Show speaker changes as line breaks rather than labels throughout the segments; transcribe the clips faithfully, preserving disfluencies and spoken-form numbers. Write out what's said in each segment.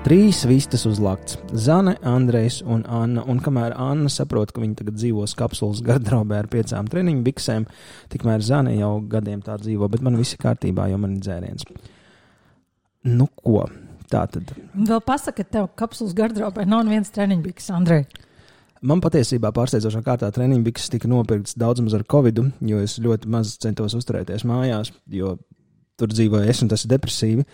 Trīs vistas uzlakts. Zane, Andrejs un Anna. Un kamēr Anna saprot, ka viņa tagad dzīvos kapsulas gardrobē ar piecām treniņu biksēm, tikmēr Zane jau gadiem tā dzīvo, bet man viss ir kārtībā, jo man ir dzēriens. Nu ko, tā tad.
Vēl pasaka, ka tev kapsulas gardrobē nav neviens treniņu biks, Andrej.
Man patiesībā pārsteidzošā kārtā treniņu bikses tika nopirkts daudz maz ar covidu, jo es ļoti maz centos uzturēties mājās, jo tur dzīvoju es un tas ir depresīvi.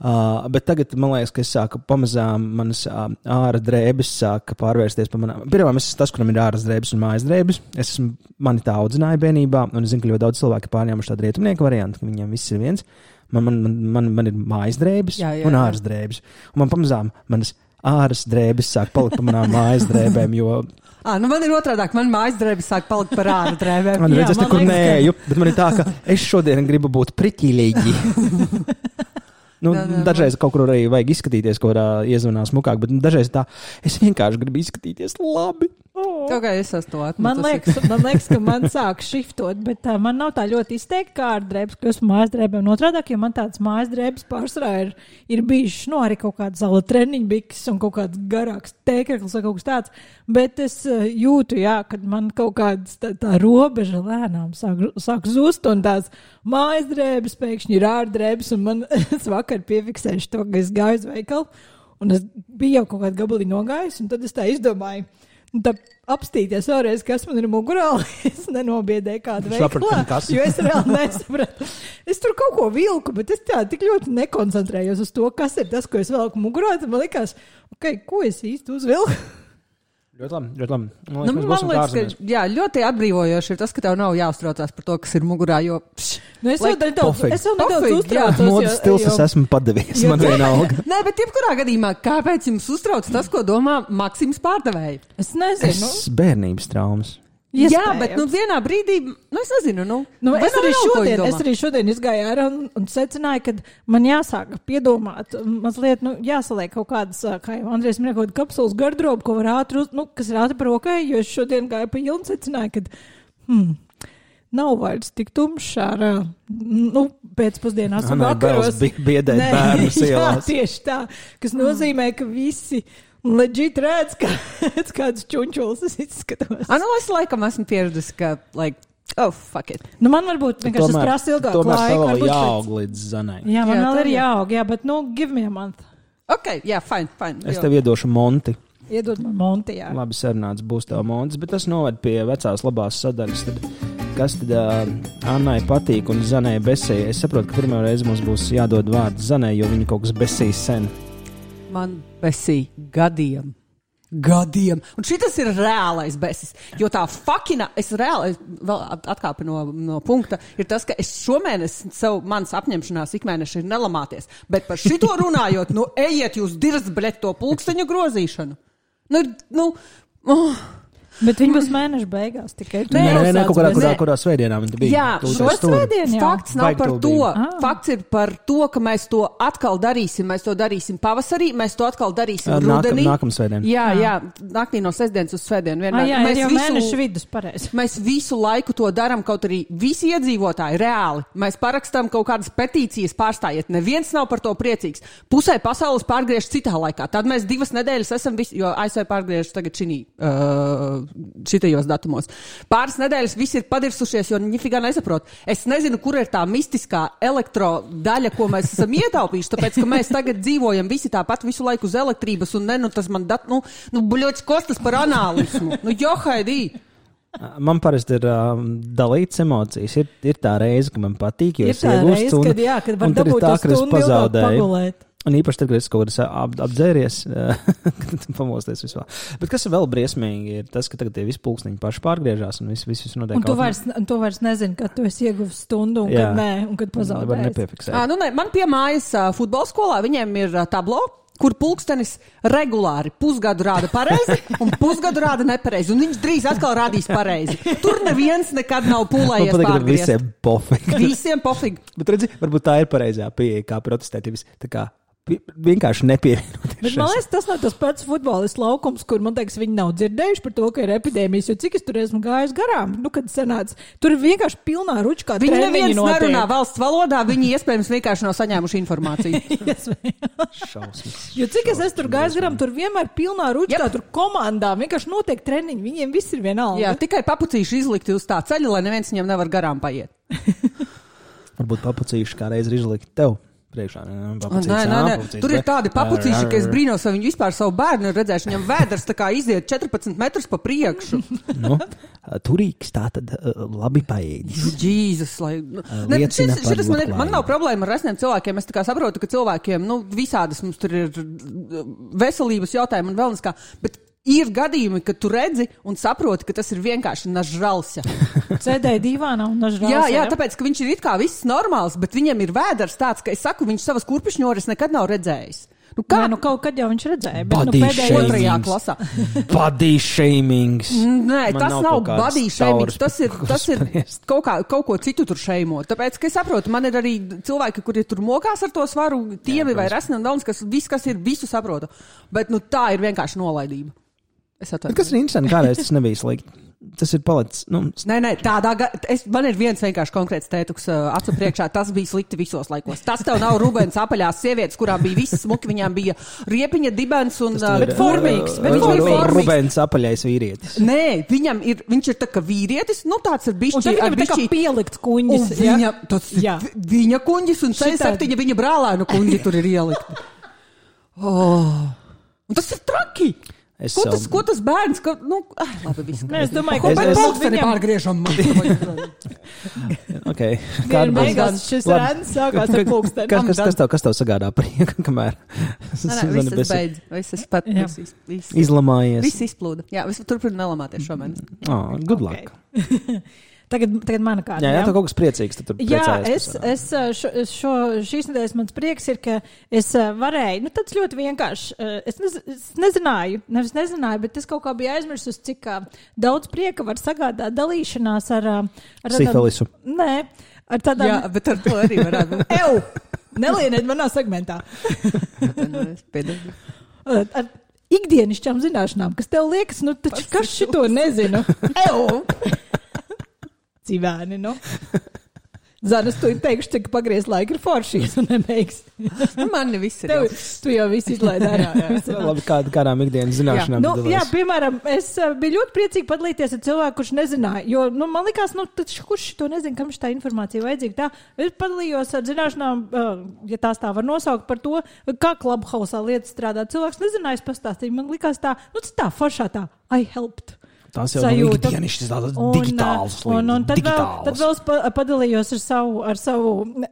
Uh, bet tagad, man liekas, ka es sāku pamazām, manas uh, āra drēbes sāka pārvērsties pa manām. Pirmām, es esmu tas, kuram ir āras drēbes un mājas drēbes. Es esmu, mani tā audzināja bērnībā, un es zinu, ka ļoti daudz cilvēki pārņēmuši tādu rietumnieku variantu, ka viņiem viss ir viens. Man, man, man, man, man ir mājas drēbes jā, jā, un āras drēbes. Un man pamazām manas āras drēbes sāk palikt pa manām mājas drēbēm, jo...
À, nu man ir otrādāk, man mājas drēbes sāk palikt par āra drēbēm.
Man redz, es nekur nēju, ka... bet man ir tā, ka es šodien gribu būt priķīlīgi. Nu, jā, jā, dažreiz kaut kur arī vajag izskatīties, kaut kādā iezvanā smukāk, bet dažreiz tā, es vienkārši gribu izskatīties labi.
Oh. Okay, es esmu to atmetusi.
Man liekas, man liekas, ka man sāk šiftot, bet uh, man nav tā ļoti izteikti kā ar drēbes, ka esmu mājas drēbēm notrādāk, jo man tāds mājas drēbes pārsvarā ir, ir bijušas, nu, arī kaut kāds zala treniņu biks un kaut kāds garāks tēkreklis vai kaut kas tāds, bet es uh, jūtu, jā, kad man kaut kāds tā, tā robeža lēnām sāk, sāk zust un tās mājas drēbes pēkšņi ir ārdrēbes un man es vakar piefiksēšu to, ka es gāju uz veikalu un es biju jau kaut kādu gabalī nogājis un tad es tā izdomāju, tā apstīties vēlreiz, kas man ir mugurā, es nenobiedēju kādu veiklā, jo es reāli nesapratu. Es tur kaut ko vilku, bet es tā tik ļoti nekoncentrējos uz to, kas ir tas, ko es velku mugurā, tad man likās, ok, ko es īsti uzvilku?
Ļoti labi, ļoti labi. Man
liekas, nu, man liekas ka, jā, ļoti atbrīvojoši ir tas, ka tev nav jāuztraucās par to, kas ir mugurā, jo... Pš,
nu, es, like, vēl nedaudz, es vēl nedaudz uztraucos.
Modas stils es esmu padavies, man vienalga.
Nē, bet jebkurā gadījumā, kāpēc jums uztrauc tas, ko domā Maksims pārdevēji?
Es nezinu.
Es bērnības traumas.
Iespējams.
Jā, bet nu, vienā brīdī, nu es nezinu, nu,
nu es, arī šodien, es arī šodien izgāju ārā un, un secināju, ka man jāsāk piedomāt, mazliet, nu, jāsaliek kaut kādas, kā jau Andrejs minēja, kaut kāda kapsulas gardroba, ko var ātri, nu, kas ir ātri par rokai, jo es šodien gāju pa ielu un secināju, ka, hmm, nav vairs tik tumšs ārā, nu, pēcpusdienās un vakaros.
Biedēt bērnus ielās.
Jā, tieši tā, kas nozīmē, ka visi... Legit redz, kā kāds čunčulis es izskatos.
Ah, nu, es laikam esmu pieredzis, ka, like, oh, fuck it.
Nu, man varbūt vienkārši tas prasa ilgāku laiku.
Tomēr tev jāaug līdz Zanai.
Jā, man jā, vēl ir jāaug, jā, bet, nu, give me a month.
Ok, jā, fine, fine.
Es tev iedošu Monti.
Iedod man Monti, jā.
Labi sarunāts būs tev Montis, bet tas noved pie vecās labās sadaļas. Tad, kas tad uh, Annai patīk un Zanai besēja? Es saprotu, ka pirmā reize mums būs jādod vārds Zanai, jo viņa kaut kas besīs sen.
Man besī gadiem. Gadiem. Un šitas ir reālais besis. Jo tā fakina, es reāli, vēl atkāpi no, no punkta, ir tas, ka es šomēnes savu manas apņemšanās ikmēneši ir nelamāties. Bet par šito runājot, nu ejiet jūs dirzt, bļet, to pulksteņu grozīšanu. Nu, nu, oh.
Bet viņi būs mēneša beigās tikai.
Nē, nē, nē, kaut kādā, kurā, kurā svētdienā viņi bija.
Jā, šo svētdienu jau. Fakts nav par to.
Ah.
Fakts ir par to, ka mēs to atkal darīsim. Mēs to darīsim pavasarī, mēs to atkal darīsim
Nākam,
rudenī.
Nākam svētdien.
Jā, jā, naktī no sestdienas uz svētdienu vienmēr.
Ah, jā,
mēs
jau
visu,
mēneša vidus, pareizi.
Mēs visu laiku to daram, kaut arī visi iedzīvotāji reāli. Mēs parakstām kaut kādas petīcijas pārstājiet. Neviens nav par to priecīgs. Pusē pasaules pārgriež citā laikā. Tad mēs divas nedēļas esam visi, jo A S V pārgriež tagad šinī, uh, šitajos datumos. Pāris nedēļas visi ir padirsušies, jo ņifigā nesaprot. Es nezinu, kur ir tā mistiskā elektrodaļa, ko mēs esam ietaupījuši, tāpēc, ka mēs tagad dzīvojam visi tāpat visu laiku uz elektrības, un ne, nu, tas man dat, nu, nu, buļoķis kostas par anālismu. Nu, johaidī!
Man parasti ir um, dalīts emocijas. Ir, ir tā reize, ka man patīk, jo
ir tā reize,
un,
kad, jā, kad var
un tad ir tā, ka es pazādēju. Un īpaši tad, kad es kaut kādā ap, apdzēries, kad pamosties vispār. Bet kas ir vēl briesmīgi, ir tas, ka tagad tie visi pulksteņi paši pārgriežās un viss vis, vis notiek.
Un tu vairs, un tu vairs nezini, kad tu esi ieguvis stundu un jā. Kad nē, un kad pazaudējies.
À, nu, ne, man pie mājas uh, futbola skolā viņiem ir uh, tablo, kur pulkstenis regulāri pusgadu rāda pareizi un pusgadu rāda nepareizi. Un viņš drīz atkal rādīs pareizi. Tur neviens nekad nav pūlējies pārgriezt.
Visiem pofīgi.
Visiem pofīgi.
Bet redzi, varbūt tā ir pareizā pieeja, kā protestēt. Tā kā vienkārši nepievienoties.
Bet man liekas, tas nav tas pats futbolists laukums, kur, man liekas, viņi nav dzirdējuši par to, ka ir epidēmijas, jo cik es tur esmu gājis garām, nu, kad sanāca, tur ir vienkārši pilnā ručkā
viņi
treniņi
neviens
notiek.
nerunā valsts valodā, viņi iespējams vienkārši nav saņēmuši informāciju.
Šausmas.
Jo cik es esmu tur gājis garām, tur vienmēr pilnā ručkā, yep. tur komandā vienkārši notiek treniņi, viņiem viss ir vienalga.
Jā, tikai papucīši izlikti uz tā ceļa, lai neviens viņam nevar garām paiet.
Varbūt papucīši kā reiz ir izlikti tev. Priekšā,
nē, nē, nē. Tur ir tādi papucīši, ka es brīnos, vai viņi vispār savu bērnu ir redzējuši. Viņam vēders tā kā iziet četrpadsmit metrus pa priekšu.
Nu, turīgs tā tad labi paēdis.
Jēzus, lai... Ne, šis, šitas man, ir, man nav problēma ar resniem cilvēkiem. Es tā kā saprotu, ka cilvēkiem, nu, visādas mums tur ir veselības jautājumi un vēl neskā. Bet ir gadījumi, kad tu redzi un saproti, ka tas ir vienkārši nažralsja.
Sēdēja divānā un nažralsja.
Jā, jā, tāpēc, ka viņš ir it kā viss normāls, bet viņam ir vēders tāds, ka es saku, viņš savas kurpišņoras nekad nav redzējis. Nu, kā?
Nē, nu kaut kad jau viņš redzēja, bet
body
nu pēdējā
otrajā klasā.
Body shamings.
Nē,
Man
tas nav, nav body shamings, tas ir, tas ir
spriest.
kaut, kā, kaut ko citu tur šeimot. Tāpēc, ka es saprotu, man ir arī cilvēki, kuri tur mokās ar to svaru, tievi vai resni un daudz, kas viss, kas ir, visu saprotu. Bet, nu, tā ir vienkārši nolaidība. Kas
ir interesanti, kādreiz tas nebija slikti. Tas ir palicis. Nu...
Nē, nē, tādā gadījumā man ir viens vienkārši konkrēts tētuks uh, acu priekšā. Tas bija slikti visos laikos. Tas tev nav Rubens apaļās sievietes, kurām bija visas smuki, viņām bija riepiņa dibens un uh,
bet formīgs.
Bet viņš ir formīgs. Rubens apaļais vīrietis.
Nē, viņam ir, viņš ir tā kā vīrietis, nu tāds ir bišķi.
Un tad viņam ir tā kā pielikts kuņģis.
Viņa, tas, viņa kuņģis un C septiņi viņa brālēnu kuņģi tur ir ielikti. Oh. Un tas ir traki. Es ko, tas, ko tas bērns? Ko, nu, ah, labi, viss.
Nē, es domāju, ka
pēc pulksteni viņam... pārgriežam.
Ok.
Kāda beigās šis rēns sākās ar pulksteni.
Kas, kas, kas, tev, kas tev sagādā prieku, kamēr?
Nē, nē, viss beidz. Viss pat. Viss, viss,
izlamājies.
Viss izplūda. Jā, viss turpina nelamāties šomēnes.
Oh, good luck.
Okay. Tagad, tagad mana kārta.
Jā, jā, tev kaut kas priecīgs. Tad
jā, es, es šo, šo, šīs nedēļas mans prieks ir, ka es varēju, nu tāds ļoti vienkārši, es, nez, es nezināju, nevis nezināju, bet es kaut kā biju aizmirsus, cik daudz prieka var sagādāt dalīšanās ar... ar
Sifilisu.
Nē, ar tādām...
Jā, bet ar to arī varētu.
Ew! Nelieniet manā segmentā. Ar ikdienišķām zināšanām, kas tev liekas, nu taču kas šito nezinu? Ew! Civēni, nu. Zanes, tu teikšu, cik pagriez laika ir foršīs un nebeigs.
Man viss ir
Tev,
jau.
Tu jau viss izlaid ārā.
Labi, kād, kādām ikdienas zināšanām.
Nu, jā, piemēram, es biju ļoti priecīgi padalīties ar cilvēku, kurš nezināja, jo, nu, man likās, nu, taču, kurš to nezina, kam šī tā informācija vajadzīga. Tā, es padalījos ar zināšanām, ja tās tā var nosaukt par to, kā Clubhouse lietas strādā. Cilvēks nezināja, es pastāstīju, man likās tā, nu, tā foršā tā, I helped.
Tās jau ir ikdienišķas, tādas digitālas lietas.
Un, un tad, vēl, tad vēl es padalījos ar savu, ar savu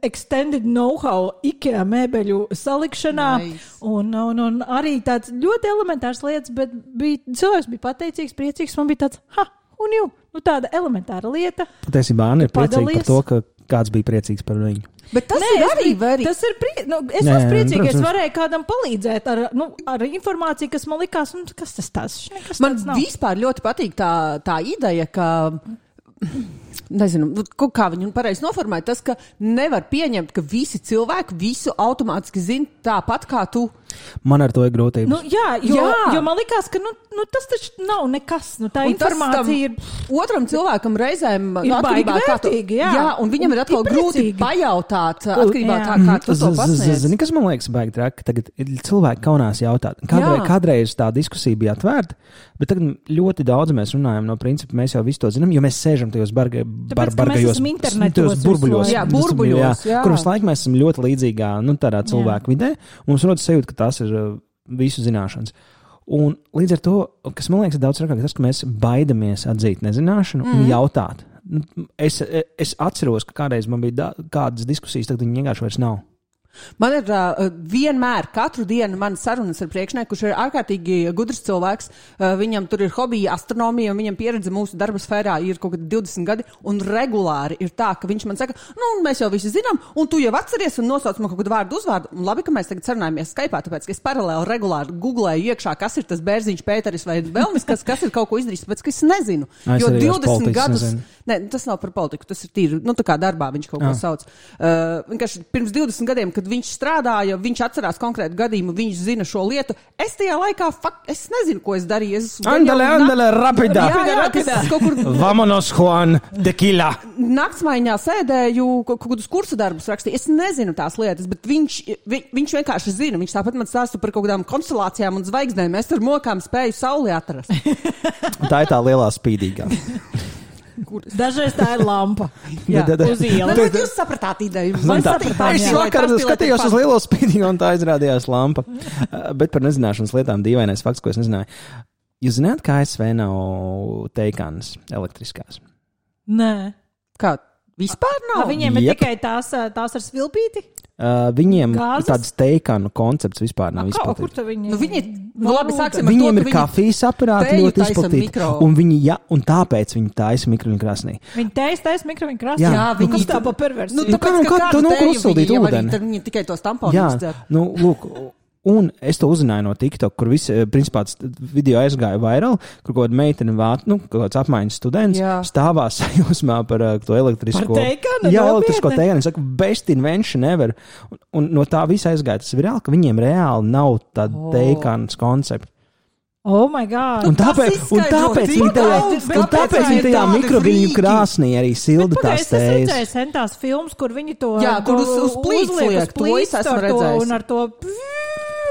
extended know-how IKEA mēbeļu salikšanā. Nice. Un, un, un arī tāds ļoti elementārs lietas, bet bija, cilvēks bija pateicīgs, priecīgs. Man bija tāds, ha, un jū, nu tāda elementāra lieta.
Patiesībā Anna ir priecīga par to, ka kāds bija priecīgs par viņu.
Bet tas
Nē,
ir arī
very... Tas ir prie... nu, es Nē, esmu priecīga, ka es varēju kādam palīdzēt ar, nu, ar informāciju, kas man likās, nu, kas tas tās?
Man vispār ļoti patīk tā, tā ideja, ka... Nezinu, kā viņu pareizi noformēt, tas, ka nevar pieņemt, ka visi cilvēki visu automātiski zina tāpat kā tu.
Man ar to ir grūtības.
Nu, jā, jo, jā. jo man likās, ka nu, nu, tas taču nav nekas. Nu, tā un informācija ir...
Otram cilvēkam reizēm
ir baigi vērtīgi, jā.
Jā, un viņam ir atkal ir grūti pajautāt, atkarībā tā, kā tu to pasniedz.
Zini, kas man liekas baigi traki? Tagad cilvēki kaunās jautāt. Kādreiz, kādreiz tā diskusija bija atvērta, bet tagad ļoti daudz mēs runājam no principa, mēs jau visu to zinām, jo mēs sēžam tajos barga, bar, bargajos burbuļos.
Jā, burbuļos, jā.
Kur visu laiku mēs esam ļoti līdzīgā, nu, tādā cilvēku vidē. Mums rodas sajūta, ka tās ir uh, visu zināšanas. Un līdz ar to, kas man liekas daudz rakāk, tas, ka mēs baidamies atzīt nezināšanu mm. un jautāt. Es, es atceros, ka kādreiz man bija da, kādas diskusijas, tagad viņi vienkārši vairs nav.
Man ir uh, vienmēr, katru dienu man sarunas ar priekšnieku, kurš ir ārkārtīgi gudrs cilvēks. Uh, viņam tur ir hobija astronomija, un viņam pieredze mūsu darba sfērā ir kaut kādi divdesmit gadi, un regulāri ir tā, ka viņš man saka, nu, mēs jau visi zinām, un tu jau atceries un nosauc man kaut kādu vārdu uzvārdu. Un labi, ka mēs tagad sarunājamies Skype'ā, tāpēc, ka es paralēli regulāri googlēju iekšā, kas ir tas bērziņš Pēteris vai Velmis, kas, kas ir kaut ko izdarījis, tāpēc, ka es nezinu.
Es
jo divdesmit gadus,
nezinu.
Ne, tas nav par politiku, tas ir tīri, nu, tā kā darbā viņš kaut ko sauc. Uh, vienkārši pirms divdesmit gadiem, kad viņš strādāja, viņš atcerās konkrētu gadījumu, viņš zina šo lietu. Es tajā laikā, fakt, es nezinu, ko es darīju. Es
andale, andale, rapida.
Jā, jā, kas kaut kur...
Vamonos, Juan, tequila.
Naktsmaiņā sēdēju, kaut kādus kursu darbus rakstīju. Es nezinu tās lietas, bet viņš, vi, viņš vienkārši zina. Viņš tāpat man stāsta par kaut kādām konstelācijām un zvaigznēm. Es ar mokām spēju sauli atrast.
Tā ir tā lielā spīdīgā.
Dažreiz tā ir lampa.
Jā,
uz ielas.
Bet jūs sapratāt ideju.
Man sapratām,
es vakar skatījos uz lielo spīdīgu un tā izrādījās lampa. Bet par nezināšanas lietām dīvainais fakts, ko es nezināju. Jūs zināt, kā A S V nav teikānas elektriskās?
Nē.
Kā? Vispār nav?
A, viņiem ir
Jep.
tikai tās, tās ar svilpīti?
Uh, viņiem
Gāzes?
tāds teikānu koncepts vispār nav
A, kā, kur
izplatīts.
tu viņi...
Nu, viņi, nu labi, sāksim ar
Viņiem
to,
ir kafijas aparāti
teju
ļoti
taisa
izplatīti.
mikro.
Un, viņi, ja, un tāpēc viņi taisa mikroviņu krāsnī.
Viņi teist, teist mikroviņu krāsā.
Jā.
Jā,
Nu,
viņi...
kas tā pa perversi?
Nu,
Nu,
tāpēc,
kā-
ka
kā
kādu
tu nu
tēju
uzsildīt
viņi jau arī,
ūdeni?
tad viņi tikai tos tamponus
Jā,
dzer.
nu, lūk, un es to uzzināju no TikTok, kur visi, principā, video aizgāja vairāk, kur kaut kāda meitene vāt, nu, kaut kāds apmaiņas students
Jā.
stāvā sajūsmā par uh, to elektrisko.
Par teikanu?
Jā,
Nopietni?
elektrisko teikanu. Saka, best invention ever. Un, un no tā visa aizgāja tas virāli, ka viņiem reāli nav tāda
Oh.
oh. teikanas koncepta.
Oh my God.
Un tāpēc, un
izskaidro
tāpēc
tik
viņi tajā,
daudz,
un
kāpēc
tāpēc
viņi
viņi
ir
tajā
tādi
mikroviļņu
frīki?
krāsnī arī silda
Bet,
tās
es esmu
tējas.
redzējis centās filmas, kur viņi to,
Jā, kur
to
uz- uz plīts
uzliek,
liek,
uz
to es
plīts
esmu
ar to,
redzējis.
un ar to,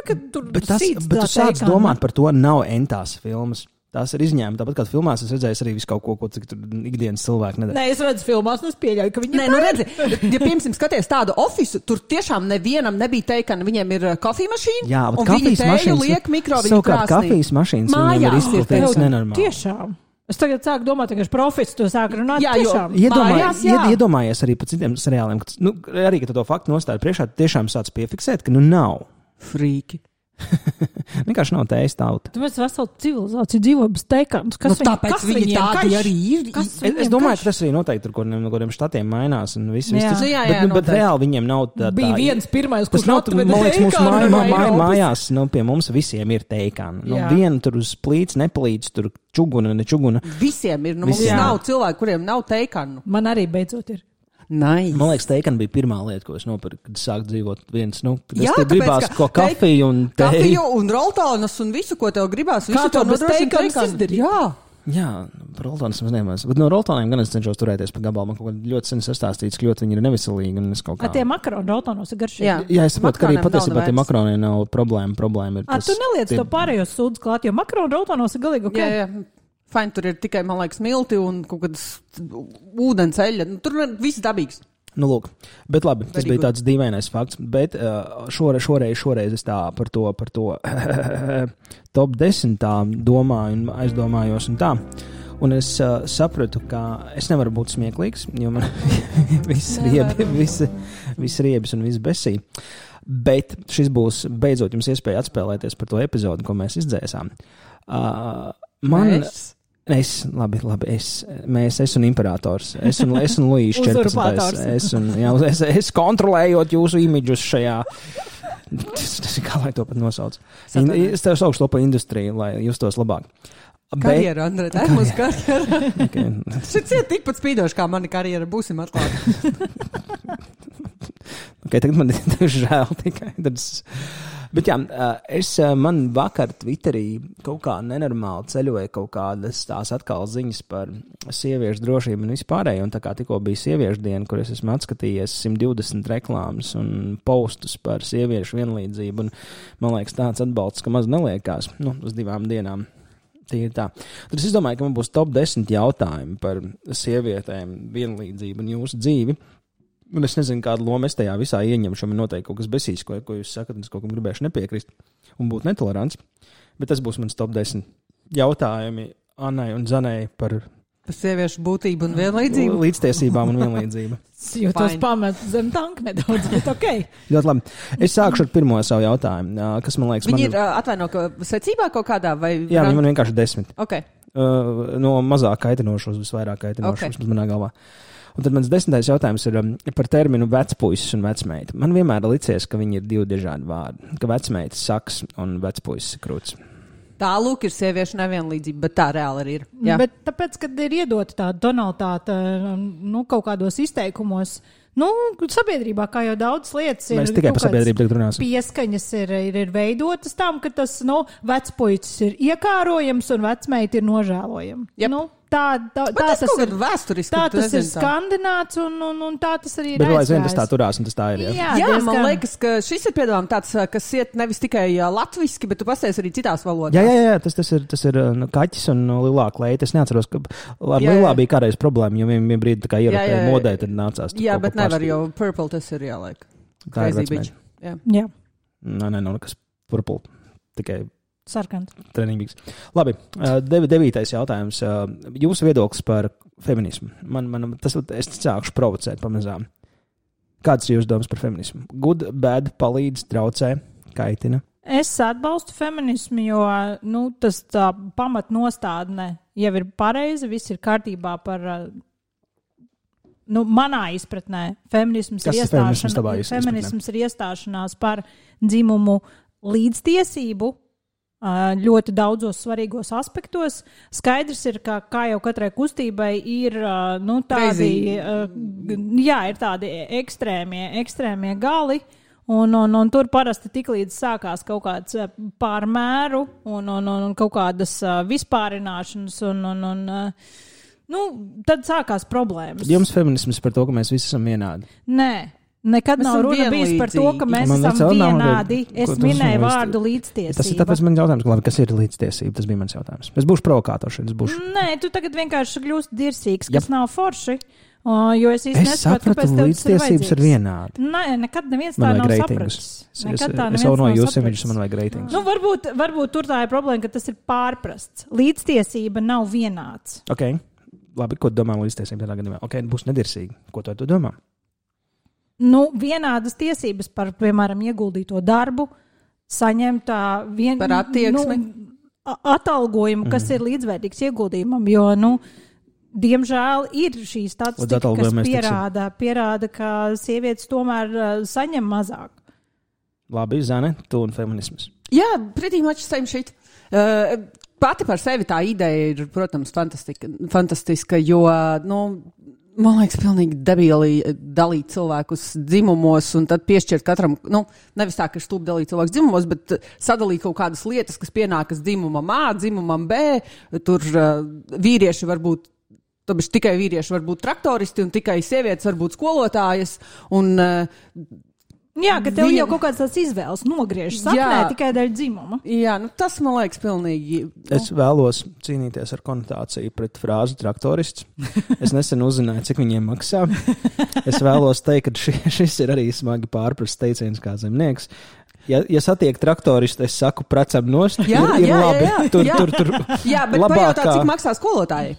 kad tur
Bet, tas,
sīc
bet
tā
tu sāc
teikana.
domāt par to, nav entās filmas. Tās ir izņēmumi. Tāpat kā filmās, es redzēju arī visu kaut ko, ko cik tur ikdienas cilvēki nedara.
Nē, es redzu filmās, un es pieļauju, ka viņi
Nē, nu redzi, ja piemēram skaties tādu ofisu, tur tiešām nevienam nebija teikana, viņiem ir kafija mašīna,
Jā, bet
un viņi
kafijas
tēju
mašīnas.
liek mikroviņu
Savukārt
krāsnī.
kafijas mašīnas viņiem ir
Mājās ir
izplatītas
teikana.
nenormāli.
Tiešām. Es tagad sāku domāt, ka profits to sāk runāt.
Jā, jo-
tiešām.
Iedomājies,
Mājās, jā.
ied, iedomājies arī par citiem seriāliem, ka, nu, arī, ka tu to faktu nostādi priekšā, tu tiešām sāc piefiksēt, ka nu nav.
Frīki.
Vienkārši nav tējas tauta.
Tu mēs veselu civilizāciju dzīvo bez teikānas.
Nu, tāpēc viņi tādi arī ir.
Kas
Es, es domāju, ka tas arī noteikti tur, kur no kādiem štatiem mainās. Un viss, viss
Jā.
tas,
Nu, jā,
bet,
jā,
nu, bet
noteikti.
reāli viņiem nav tā.
bija
tā
viens pirmais,
Tas
kurš
nav,
atveda
man liekas, mūsu
teikānu
māj,
no
mā, mā,
Eiropas.
mājās, nu, pie mums visiem ir teikāna. Nu,
Jā.
viena tur uz plīts nepalīdz, tur čuguna, ne čuguna.
Visiem ir. Nu, mums
Visiem.
nav cilvēku, kuriem nav teikanu.
Man arī beidzot ir.
Nice.
Man liekas, teikana bija pirmā lieta, ko es nopirku, kad sāku dzīvot viens. Nu, kad
Jā,
es te
tāpēc,
gribās
ka
ko kafiju un
Kafiju
teju.
un roltānas un visu, ko tev gribās.
Kā
Visu
to bez
nodrošina
teikanas
teikana.
izdarīt?
Jā.
Jā, par roltāniem es nemaz. Bet no roltāniem gan es cenšos turēties pa gabalu. Man kaut kā ļoti sen sastāstīts, ka ļoti viņi ir neveselīgi. Un es kaut
A
kā...
tie makaroni roltonos ir garšīgi.
Jā.
Jā, es saprotu, ka arī
Makaroniem nav
patiesībā tie
nevairs.
makaroni nav problēma. Problēma ir
A,
tas.
tu neliec
tie-
to pārējo sūdzu klāt, jo makaroni roltonos ir galīgi ok.
Jā, jā. Fain, tur ir tikai, man liekas, milti un kaut kādas ūdens eļļa. Nu, tur ir viss dabīgs.
Nu, lūk, bet labi, tas
Very
bija tāds dīvainais fakts. Bet uh, šoreiz, šoreiz, šoreiz es tā par to, par to top desmit tā domāju un aizdomājos un tā. Un es uh, sapratu, ka es nevaru būt smieklīgs, jo man viss riebi, visi, visi riebis un viss besī. Bet šis būs beidzot jums iespēja atspēlēties par to epizodu, ko mēs izdzēsām. Uh, man...
Mēs?
Es, labi, labi, es, mēs, es un imperators, es un, es un Luīšs četrpadsmitais, es un, jā, es, es kontrolējot jūsu imidžus šajā, tas, tas ir kā lai to pat nosauc. In, es tev saukšu to pa industriju, lai justos labāk.
Karjera, Andrej, tā ir mūsu karjera.
Okay.
Šis ir tikpat spīdoši, kā mana karjera. Būsim atklāti.
Okay, tagad man ir žēl tikai. Tas... Bet jā, es man vakar Twitterī kaut kā nenormāli ceļoja kaut kādas tās atkal ziņas par sieviešu drošību un vispārēju. Un tā kā tikko bija sieviešu diena, kur es esmu atskatījies simt divdesmit reklāmas un postus par sieviešu vienlīdzību. Un, man liekas, tāds atbalsts, ka maz neliekās, nu, uz divām dienām. Tīri tā. Tad es domāju, ka man būs top desmit jautājumi par sievietēm, vienlīdzību un jūsu dzīvi. Un es nezinu, kādu lomu es tajā visā ieņemšu. Man noteikti kaut kas besīs, ko, ko jūs sakat, un es kaut kam gribēšu nepiekrist un būt netolerants. Bet tas būs mans top desmit jautājumi Annai un Zanai par
Par sieviešu būtību un vienlīdzību.
līdztiesībām un vienlīdzību.
Jo tas
Fine.
pamet zem tanka nedaudz, bet ok.
Ļoti labi. Es sākšu ar pirmo savu jautājumu, kas man liekas,
Viņi
man
ir uh, atvaino, ka secībā kaut kādā vai...
Jā, viņi man vienkārši desmit.
Ok.
Uh, no mazāk kaitinošos uz vairāk kaitinošos,
Ok.
okay. manā galvā. Un tad mans desmitais jautājums ir um, par terminu vecpuisis un vecmeita. Man vienmēr licies, ka viņi ir divi dažādi vārdi. Ka vecmeitas saks un vecpuisis ir krūts.
Tā lūk ir sieviešu nevienlīdzība, bet tā reāli arī ir. Jā.
Bet tāpēc, kad ir iedota tā tonalitāte, nu, kaut kādos izteikumos, nu, sabiedrībā, kā jau daudz lietas ir.
Mēs tikai par sabiedrību tagad runāsim.
Pieskaņas ir, ir, ir veidotas tam, ka tas, nu, vecpuicis ir iekārojams un vecmeita ir nožēlojama.
Yep.
Nu, tā, tā, tā
tas,
tas ir
vēsturiski.
Tā tas ir
tā.
skandināts un, un, un tā tas arī ir.
Bet aizvien tas tā turās un tas tā ir. Jā,
jā,
jā
diezgan...
man liekas, ka šis ir piedāvājums tāds, kas iet nevis tikai latviski, bet tu pasties arī citās valodās.
Jā, jā, jā tas, tas ir, tas ir nu, kaķis un lilā kleita. Es neatceros, ka ar
jā,
lilā
jā.
bija kādreiz problēma, jo viņam brīdi tā kā ierakēja modē, tad nācās.
Jā, bet nevar, jo purple tas ir jālaik.
Tā ir vecmeita.
Jā.
jā.
Nē, nē, nav nekas purple, tikai
sarkans.
Trenīgs. Labi, dev, devītais jautājums. Jūsu viedoklis par feminismu. Man, man, tas, es sākšu provocēt pamazām. Kāds ir jūsu domas par feminismu? Good, bad, palīdz, traucē, kaitina?
Es atbalstu feminismu, jo nu, tas tā pamatnostādne jau ir pareiza, viss ir kārtībā par, nu, manā izpratnē. Feminisms, ir,
feminisms,
feminisms ir iestāšanās par dzimumu līdztiesību ļoti daudzos svarīgos aspektos. Skaidrs ir, ka kā jau katrai kustībai ir, nu, tādi, jā, ir tādi ekstrēmie, ekstrēmie gali, un, un, un tur parasti tiklīdz sākās kaut kāds pārmēru un, un, un kaut kādas vispārināšanas, un, un, un nu, tad sākās problēmas.
Jums feminisms par to, ka mēs visi esam vienādi?
Nē. Nekad
mēs
nav runa bijis par to, ka mēs
man
esam vienādi.
Nav,
es minēju vārdu līdztiesība.
Tas ir tāpēc man jautājums, labi, kas ir līdztiesība? Tas bija mans jautājums. Es būšu provokātors. Būšu...
Nē, tu tagad vienkārši kļūsti dirsīgs, kas
Jep.
nav forši. Jo es īsti
nesapratu, kāpēc līdztiesības ir vienādi.
Nē, nekad neviens tā nav sapratis.
Nekad tā neviens nav sapratis. Jūs imidžus man vajag reitingus.
Nu, varbūt, varbūt tur tā ir problēma, ka tas ir pārprasts. Līdztiesība nav vienāds.
Ok, labi, ko domā līdztiesība tādā gadījumā? Ok, būs nedirsīgi. Ko tu ar to domā?
Nu, vienādas tiesības par, piemēram, ieguldīto darbu, saņemt vien,
par attieksmi.
Nu, atalgojumu, kas mm. ir līdzvērtīgs ieguldījumam, jo, nu, diemžēl ir šī statistika, kas pierāda, pierāda, ka sievietes tomēr uh, saņem mazāk.
Labi, Zane, tu un feminisms.
Jā, pretī much same shit. Uh, pati par sevi tā ideja ir, protams, fantastika, fantastiska, jo, nu, man liekas, pilnīgi debīli dalīt cilvēkus dzimumos un tad piešķirt katram, nu, nevis tā, ka stūp dalīt cilvēkus dzimumos, bet sadalīt kaut kādas lietas, kas pienākas dzimumam A, dzimumam B. Tur uh, vīrieši var būt, tāpēc tikai vīrieši var būt traktoristi un tikai sievietes var būt skolotājas. Un, uh,
Jā, ka tev vien... jau kaut kāds tāds izvēles nogriež saknē tikai dēļ dzimuma.
Jā, nu tas man liekas pilnīgi. Nu.
Es vēlos cīnīties ar konotāciju pret frāzi traktorists. Es nesen uzzināju, cik viņiem maksā. Es vēlos teikt, ka ši, šis ir arī smagi pārprasts teiciens kā zemnieks. Ja, ja satiek traktoristu, es saku precam nost,
jā,
ir, ir
jā,
labi.
Jā, jā.
Tur,
jā.
tur, tur,
jā, bet pajautā, cik maksā skolotāji?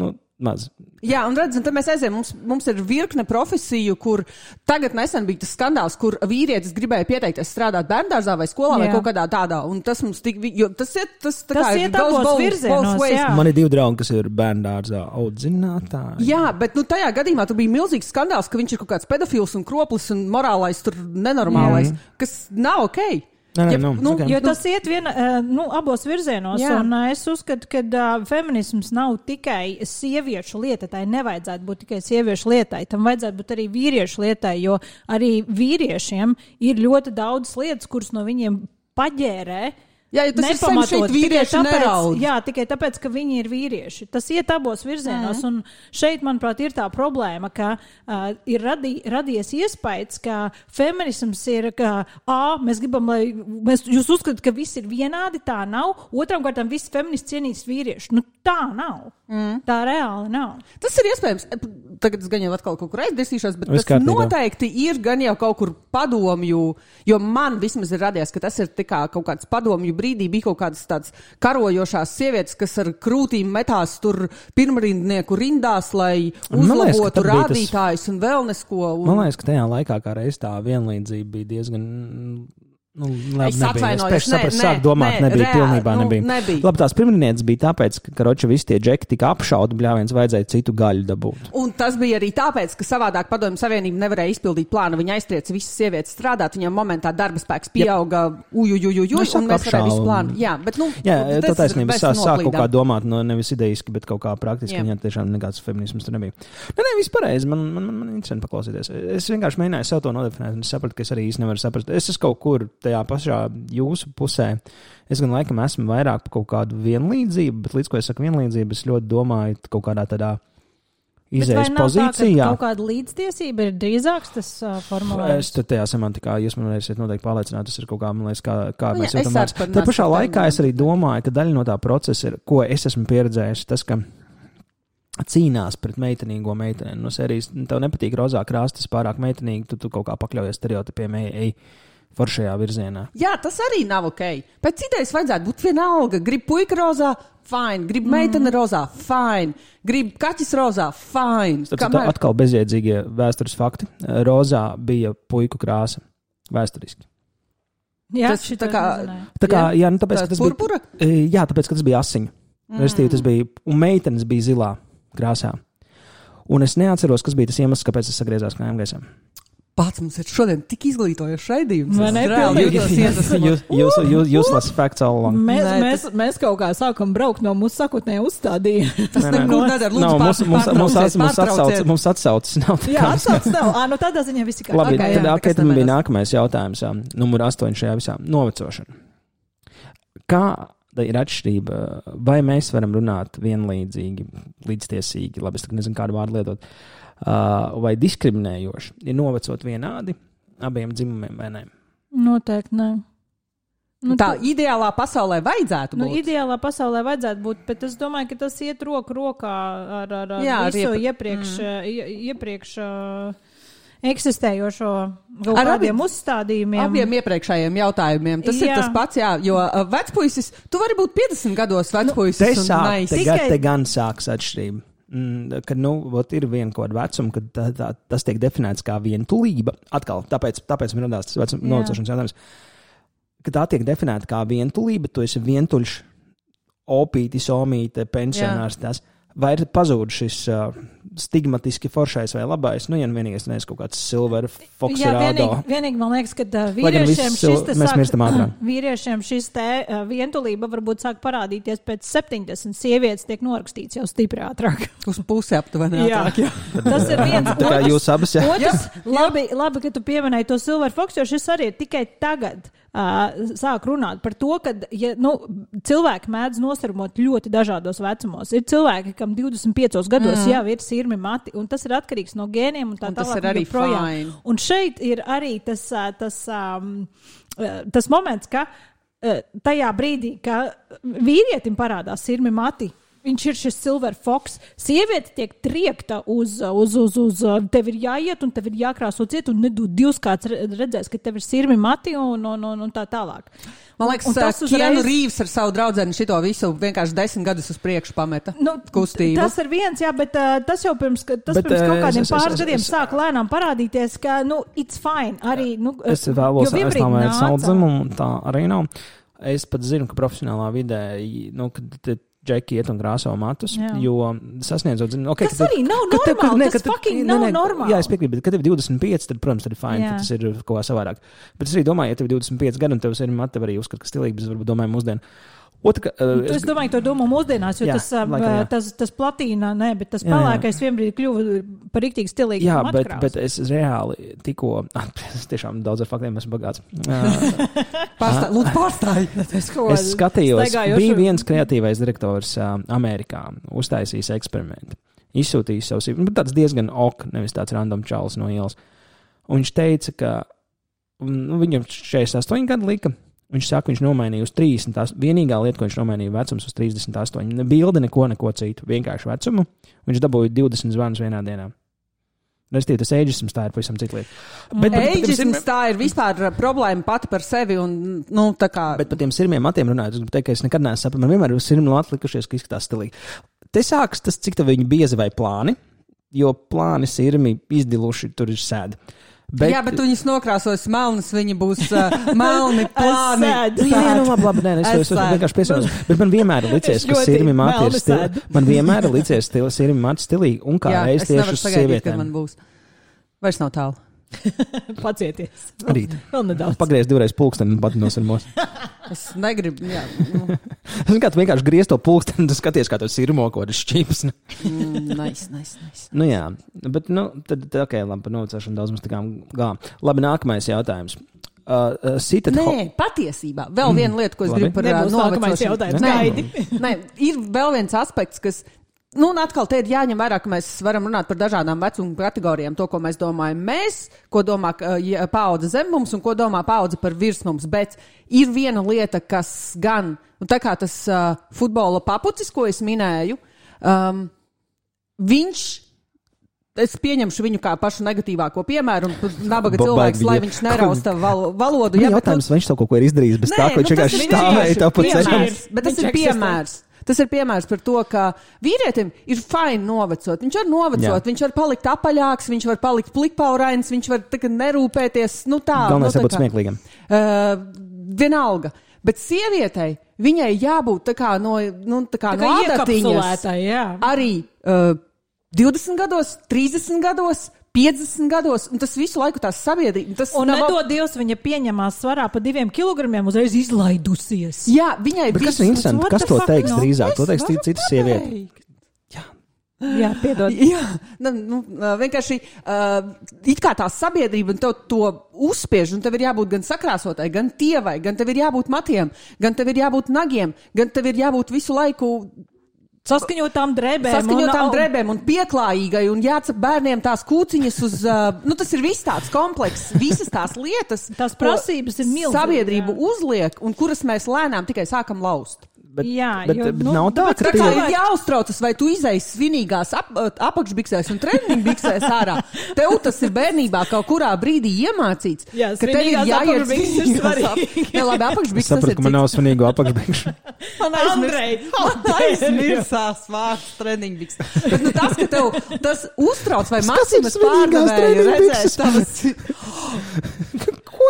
Nu, maz.
Jā, un redz, un tad mēs aizējām, mums, mums ir virkne profesiju, kur tagad nesen bija tas skandāls, kur vīrietis gribēja pieteikties strādāt bērndārzā vai skolā jā. Vai kaut kādā tādā, un tas mums tik, jo tas ir, tas tā
tas
kā
iet abos virzienos, jā.
Man ir divi draugi, kas ir bērndārzā audzinātāji.
Jā, bet, nu, tajā gadījumā tur bija milzīgs skandāls, ka viņš ir kaut kāds pedofils un kroplis un morālais tur nenormālais, jā. Kas nav okei. Okay.
Nē, nē,
ja,
nu,
nu,
okay.
Jo tas iet viena, nu, abos virzienos, jā. Un es uzskatu, ka uh, feminisms nav tikai sieviešu lieta, tai nevajadzētu būt tikai sieviešu lietai, tam vajadzētu būt arī vīriešu lietai, jo arī vīriešiem ir ļoti daudz lietas, kuras no viņiem paģērē.
Jā, ja tas nepamatot, ir šeit vīrieši neraud.
Jā, tikai tāpēc, ka viņi ir vīrieši. Tas iet abos virzienos, mm. un šeit, manuprāt, ir tā problēma, ka uh, ir radī, radies iespējas, ka feminisms ir, ka, ā, mēs gribam, lai, mēs, jūs uzskatāt, ka viss ir vienādi, tā nav. Otram kārtām visi feministi cienīs vīrieši. Nu, tā nav. Mm. Tā reāli nav.
Tas ir iespējams. Tagad es gan jau atkal kaut kur aizdirsīšos, bet Viss tas kārtībā. Noteikti ir gan jau kaut kur padomju, jo man vismaz ir radies, ka tas ir tikā kaut kāds padomju brīdī bija kaut kādas tādas karojošās sievietes, kas ar krūtīm metās tur pirmrindnieku rindās, lai uzlabotu rādītājus un vēl nesko. Un...
Man liekas, ka tajā laikā kā reiz tā vienlīdzība bija diezgan Nu, labi,
Es
nebija.
atvainojos,
Es pēc
nē,
sapratu,
nē,
sāk domāt,
nē,
nebija,
reāli,
pilnībā
nu,
nebija.
nebija.
Labi, tās pirmdienas bija tāpēc, ka, karoči, visi tie džeki tika apšauti, bļāviens vajadzēja citu gaļu dabūt.
Un tas bija arī tāpēc, ka savādāk Padomju Savienība nevarēja izpildīt plānu. Viņa aiztrieca visas sievietes strādāt, viņam momentā darba spēks pieauga, ujujujujuj,
Nu,
un mēs varējām visu plānu. Jā, bet, nu,
Jā,
tas
tā taisnība
mēs
sāk, sāk kaut kā
noplīdām.
domāt, no nevis idejiski, bet kaut kā praktiski,
Jā.
viņam tiešām nekāds feminisms tur nebija. Nē, nē, viss pareizi, man, man, man, man interesanti paklausīties. Es vienkārši mēģināju sev to nodefinēt, un es sapratu, ka es arī īsti nevaru saprast. Es esmu kaut kur tajā pašā jūsu pusē. Es gan laikam esmu vairāk par kaut kādu vienlīdzību, bet līdz ko es saku vienlīdzību, es ļoti domāju kaut kādā tādā izējas pozīcijā.
Kaut kāda līdztiesība ir drīzāks tas uh, formulējums.
Es tad tajā semantikā, jūs man varēsiet noteikti pārliecināt, tas ir kaut kā, man liekas, kā, kā
Nu,
mēs
jā, es
jūtam vārds.
saprotu,
Tā pašā
nāc,
laikā es arī domāju, ka daļa no tā procesa ir, ko es esmu pieredzējis, tas, ka cīnās pret meitenīgo meiteni. No sērijas, tev nepatīk rozā krāsas, tas pārāk meitenīgi, tu, tu kaut kā pakļaujies stereotipiem, ej, ej foršajā virzienā.
Jā, tas arī nav ok. Pēc idejas vajadzētu būt vienalga. Grib puika rozā, fine. Grib meitene rozā, fine. Grib kaķis rozā, fine.
Tad Kamēr... atkal bezjēdzīgie vēstures fakti. Rozā bija puiku krāsa vēsturiski.
Jā,
Tas
šito
tā kā-
es nezināju.
Tā kā, jā, nu tāpēc,
Tā
ka tas
purpura?
bija, jā, tāpēc, ka tas bija asiņu. Mm. Restīvi, tas bija, un meitenes bija zilā krāsā. Un es neatceros, kas bija tas iemesls, kāpēc es sagriezās kājām gaisā.
Pats mums ir šodien tik izglītojošs raidījums.
Vai ne?
Es reāli
Pilnīgi.
jūtos iedvesmot.
Jūs, jūs, jūs, jūs last facts all along.
Mēs,
Nē,
mēs, mēs kaut kā sākam braukt no mūsu sakotnējā uzstādījuma.
Tas nekur nedara. Lūdzu,
Nav, mums, mums, mums,
pārtrauciet,
mums, atsauc,
pārtrauciet.
mums atsaucas nav. tā
Jā,
kā-
atsauc tev. Ā, nu tādā ziņā visi kā.
Labi,
Ok,
tad
jā,
okay,
nekas
tad man bija
nemēdās.
nākamais jautājums, ā, numur astoņi šajā visā - novecošana. Kāda ir atšķirība, vai mēs varam runāt vienlīdzīgi, līdztiesīgi, labi, es tagad nezinu, kādu vārdu lietot, uh, vai diskriminējoši, ir novecot vienādi abiem dzimumiem vai ne?
Noteikti nē. Nu,
Tā
tu-
ideālā pasaulē vajadzētu
Nu,
būt.
ideālā pasaulē vajadzētu būt, bet es domāju, ka tas iet roku rokā ar, ar, ar
Jā, ar
visu
iepr-
iepriekš, mm. iepriekš uh, eksistējošo kaut
Ar
kādiem
abiem-
uzstādījumiem.
Abiem iepriekšējiem jautājumiem. Tas jā. ir
Jā.
tas pats, jā, jo uh, vecpuisis, tu vari būt piecdesmit gados vecpuisis.
Te,
un
sāk,
nice.
te,
Tikai-
gan, te gan sāks atšķirība. Mm, kad nu, ot, ir viena kaut kāda vecuma, kad tā, tā, tas tiek definēts kā vientulība. Atkal, tāpēc, tāpēc man radās tas vecuma
Jā.
novecošanas jautājums. Kad tā tiek definēta kā vientulība, tu esi vientuļš, opītis, omīte, pensionārs. Tas. Vai ir pazudis šis uh, stigmatiski foršais vai labais? Nu, ja nu vienīgais neesi kaut kāds silver fox
Jā,
rādo.
vienīgi, vienīgi man liekas, ka uh,
Lai gan
vīriešiem
viss
šis
sil-
te
mēs
sāk,
mirstam ātrāk.
vīriešiem šis te uh, vientulība varbūt sāk parādīties pēc septiņdesmit, sievietes tiek norakstīts jau stipri ātrāk.
Uz pusi aptuveni.
Jā.
ātrāk, jā.
Tas ir viens.
Tā kā jūs abas, jā.
Otrs, labi, labi, ka tu pieminēji to Silver Fox, jo šis arī ir tikai tagad uh, sāk runāt par to, ka ja, nu, cilvēki mēdz nosarmot ļoti dažādos vecumos. Ir cilvēki, kam divdesmit piecos gados mm. jau ir sirmi mati, un tas ir atkarīgs no gēniem un tā
Un tas
tālāk.
ir arī
joprojām.
fine.
Un šeit ir arī tas, uh, tas, um, uh, tas moments, ka uh, tajā brīdī, ka vīrietim parādās sirmi mati, viņš ir šis Silver Fox. Sieviete tiek triekta uz, uz, uz, uz tev ir jāiet un tev ir jākrāso ciet un nedod divs kāds redzēs, ka tev ir sirmi mati un, un, un, un tā tālāk.
Man liekas,
Un- un tas
Keanu
uzreiz-
Reeves ar savu draudzeni šito visu vienkārši desmit gadus uz priekšu pameta
Nu,
kustību.
tas ir viens, jā, bet uh, tas jau pirms, ka- tas
Bet,
bet, pirms
eh,
kaut kādiem
es- es-
pāris
es-
gadiem
es-
sāk lēnām parādīties, ka, nu, it's fine. Arī, nu,
Es vēlos
jo vienbrīd
aizstāvēt
nāca-
savu dzimumu, un tā arī nav. Es pat zinu, ka profesionālā vidē, nu, kad te džeki iet un krāso matus,
Jā.
jo sasniedzot dzimumu. Okay,
Tas arī nav normāli, tas fucking nav normāli.
Jā, es piekrītu, bet kad tev ir divdesmit pieci, tad, protams, tad ir fine,
Jā.
tad tas ir kaut kā savādāk. Bet es arī domāju, ja tev ir divdesmit pieci gadi un tev ir mati, tev arī uzskat, ka stilīgi, bet es varbūt domāju mūsdienu. Otra, uh,
Es domāju, to domā mūsdienās, jo
Jā,
jā, tas, um,
laikam, jā.
tas, tas platīna, ne, bet tas
Jā, jā.
pelēkais vienbrīd kļuva par riktīgi stilīgu.
Jā, bet,
matkrāsu.
bet es reāli tikko, es tiešām daudz ar faktiem esmu bagāts. Uh,
Pārstāj, lūdzu, pārstāj.
Es kaut
Es
kādu
skatījos,
staigājošu-
bija viens kreatīvais direktors uh, Amerikā, uztaisījis eksperimentu. Izsūtījis savus, nu, tāds diezgan ok, nevis tāds random čalis no ielas. Un viņš teica, ka nu, viņam četrdesmit astoņi gadi lika. Viņš saka, viņš nomainīja uz trīsdesmit astoņi. Vienīgā lieta, ko viņš nomainīja, vecums uz trīsdesmit astoņi. Ne bilde, neko, neko citu. Vienkārši vecumu. Viņš dabūja divdesmit zvanus vienā dienā. Restīvi, tas ageisms tā ir pavisam cita lieta. Bet, bet, bet,
Ageisms tā ir vispār problēma pati par sevi un, nu, tā kā.
Bet par tiem sirmiem matiem runājot, es gribu teikt, ka es nekad neesmu sapratis. Man vienmēr ir sirmi atlikušies, ka izskatās stilīgi. Te sāks tas, cik tev viņi biezi vai plāni, jo plāni sirmi izdiluši, tur ir sēdi.
Bet... Jā, bet viņas nokrāsos melnas, viņa būs uh, melni plāni.
Nē, nē, nu labi, labi, nē, es, es, es vienkārši piesaucu. Bet man vienmēr ir licies, ka Sirmi Mati ir stilī. Man vienmēr ir licies stili, Sirmi Mati stilī un kā
Jā,
reiz tieši uz
sagaidīt,
sievietēm.
man būs. Vairs nav tālu.
Pacieties.
Rīt.
Vēl nedaudz.
Pagriez divreiz pulksteni un pati nosirmos.
Es negribu, jā. Nu.
Es kā tu vienkārši griez to pulksteni, tu skaties, kā to sirmo, ko tas šķips.
mm, nice, nice, nice.
Nu jā, bet, nu, tad, ok, labi, par novacēšanu daudz mums tā kā gā. Labi, nākamais jautājums. Uh, uh, sitat
Nē,
ho...
patiesībā. Vēl viena lieta, ko es
Labi.
gribu par uh,
Nebūs nākamais
novecošanu.
jautājums.
Nē,
Gaidi.
nē, ir vēl viens aspekts, kas, nu, un atkal te ir jāņem vērā, ka mēs varam runāt par dažādām vecuma kategorijām, to, ko mēs domājam mēs, ko domā uh, paudze zem mums un ko domā paudze par virs mums, bet ir viena lieta, kas gan, un tā kā tas uh, futbola papucis, ko es minēju, um, viņš es pieņemšu viņu kā pašu negatīvāko piemēru, un nabaga cilvēks, lai viņš nerausta val, valodu.
Jā, jautājums, vai viņš to kaut ko ir izdarījis bez
Nē,
tā, ka viņš
nu,
vienkārši
tas ir
stāvēja tā pa ceļam.
piemērs, bet tas
Viņš
ir piemērs. Tas ir piemērs par to, ka vīrietim ir fajn novecot. Viņš var novecot,
Jā.
viņš var palikt apaļāks, viņš var palikt plikpaurains, viņš var tagad nerūpēties. Nu tā,
Galvenais
nu, tā
jābūt
kā-
smieklīgam.
Uh, vienalga. Bet sievietei, viņai jābūt tā kā no, nu, tā kā
Tā kā
no adatiņas.
iekapsulētāji, jā.
Arī uh, divdesmit gados, trīsdesmit gados, piecdesmit gados, un tas visu laiku tās sabiedrība. Tas
Un
nav-
nedod Dievs, viņa pieņemās svarā pa diviem kilogramiem, uzreiz izlaidusies.
Jā, viņai
Bet kas
viss-
ir interesanti?
what
Kas
the
to
fuck,
teiks
no?
drīzāk? To
Es
teiks
varu
cita sieviete.
pateikt.
Jā, piedod.
Jā, nu, nu, vienkārši uh, it kā tā sabiedrība un tev to uzspiež, un tev ir jābūt gan sakrāsotai, gan tievai, gan tev ir jābūt matiem, gan tev ir jābūt nagiem, gan tev ir jābūt visu laiku
Saskaņotām drēbēm.
saskaņotām
un-
drēbēm un pieklājīgai, un jācep bērniem tās kūciņas uz, uh, nu tas ir viss tāds komplekss, visas tās lietas,
Tās
ko
prasības ir milzīgas,
sabiedrība
jā.
uzliek, un kuras mēs lēnām tikai sākam laust.
Bet,
Jā,
bet,
jo,
bet
nu,
nav tā,
tāpēc,
ka
Tā
ka
kā
tie...
ir
cilvēki-
jāuztraucas, vai tu izēji svinīgās ap, apakšbiksēs un treniņbiksēs ārā. Tev tas ir bērnībā kaut kurā brīdī iemācīts,
Jā,
ka tev ir
svinīgās
jāiet
apakšbikses ir
svinīgās
svarīgi.
ap- Jā, labi,
Es
apakšbikses tas
sapratu,
ir
ka man nav svinīgu apakšbikšu.
Man
Andrej,
aizmirsās vārds treniņbiks. Bet nu, tas, ka tev tas uztrauc vai
Kas ir
mācības
svinīgās
pārdevēja redzēt
treniņbikses?
tavas...
Ko?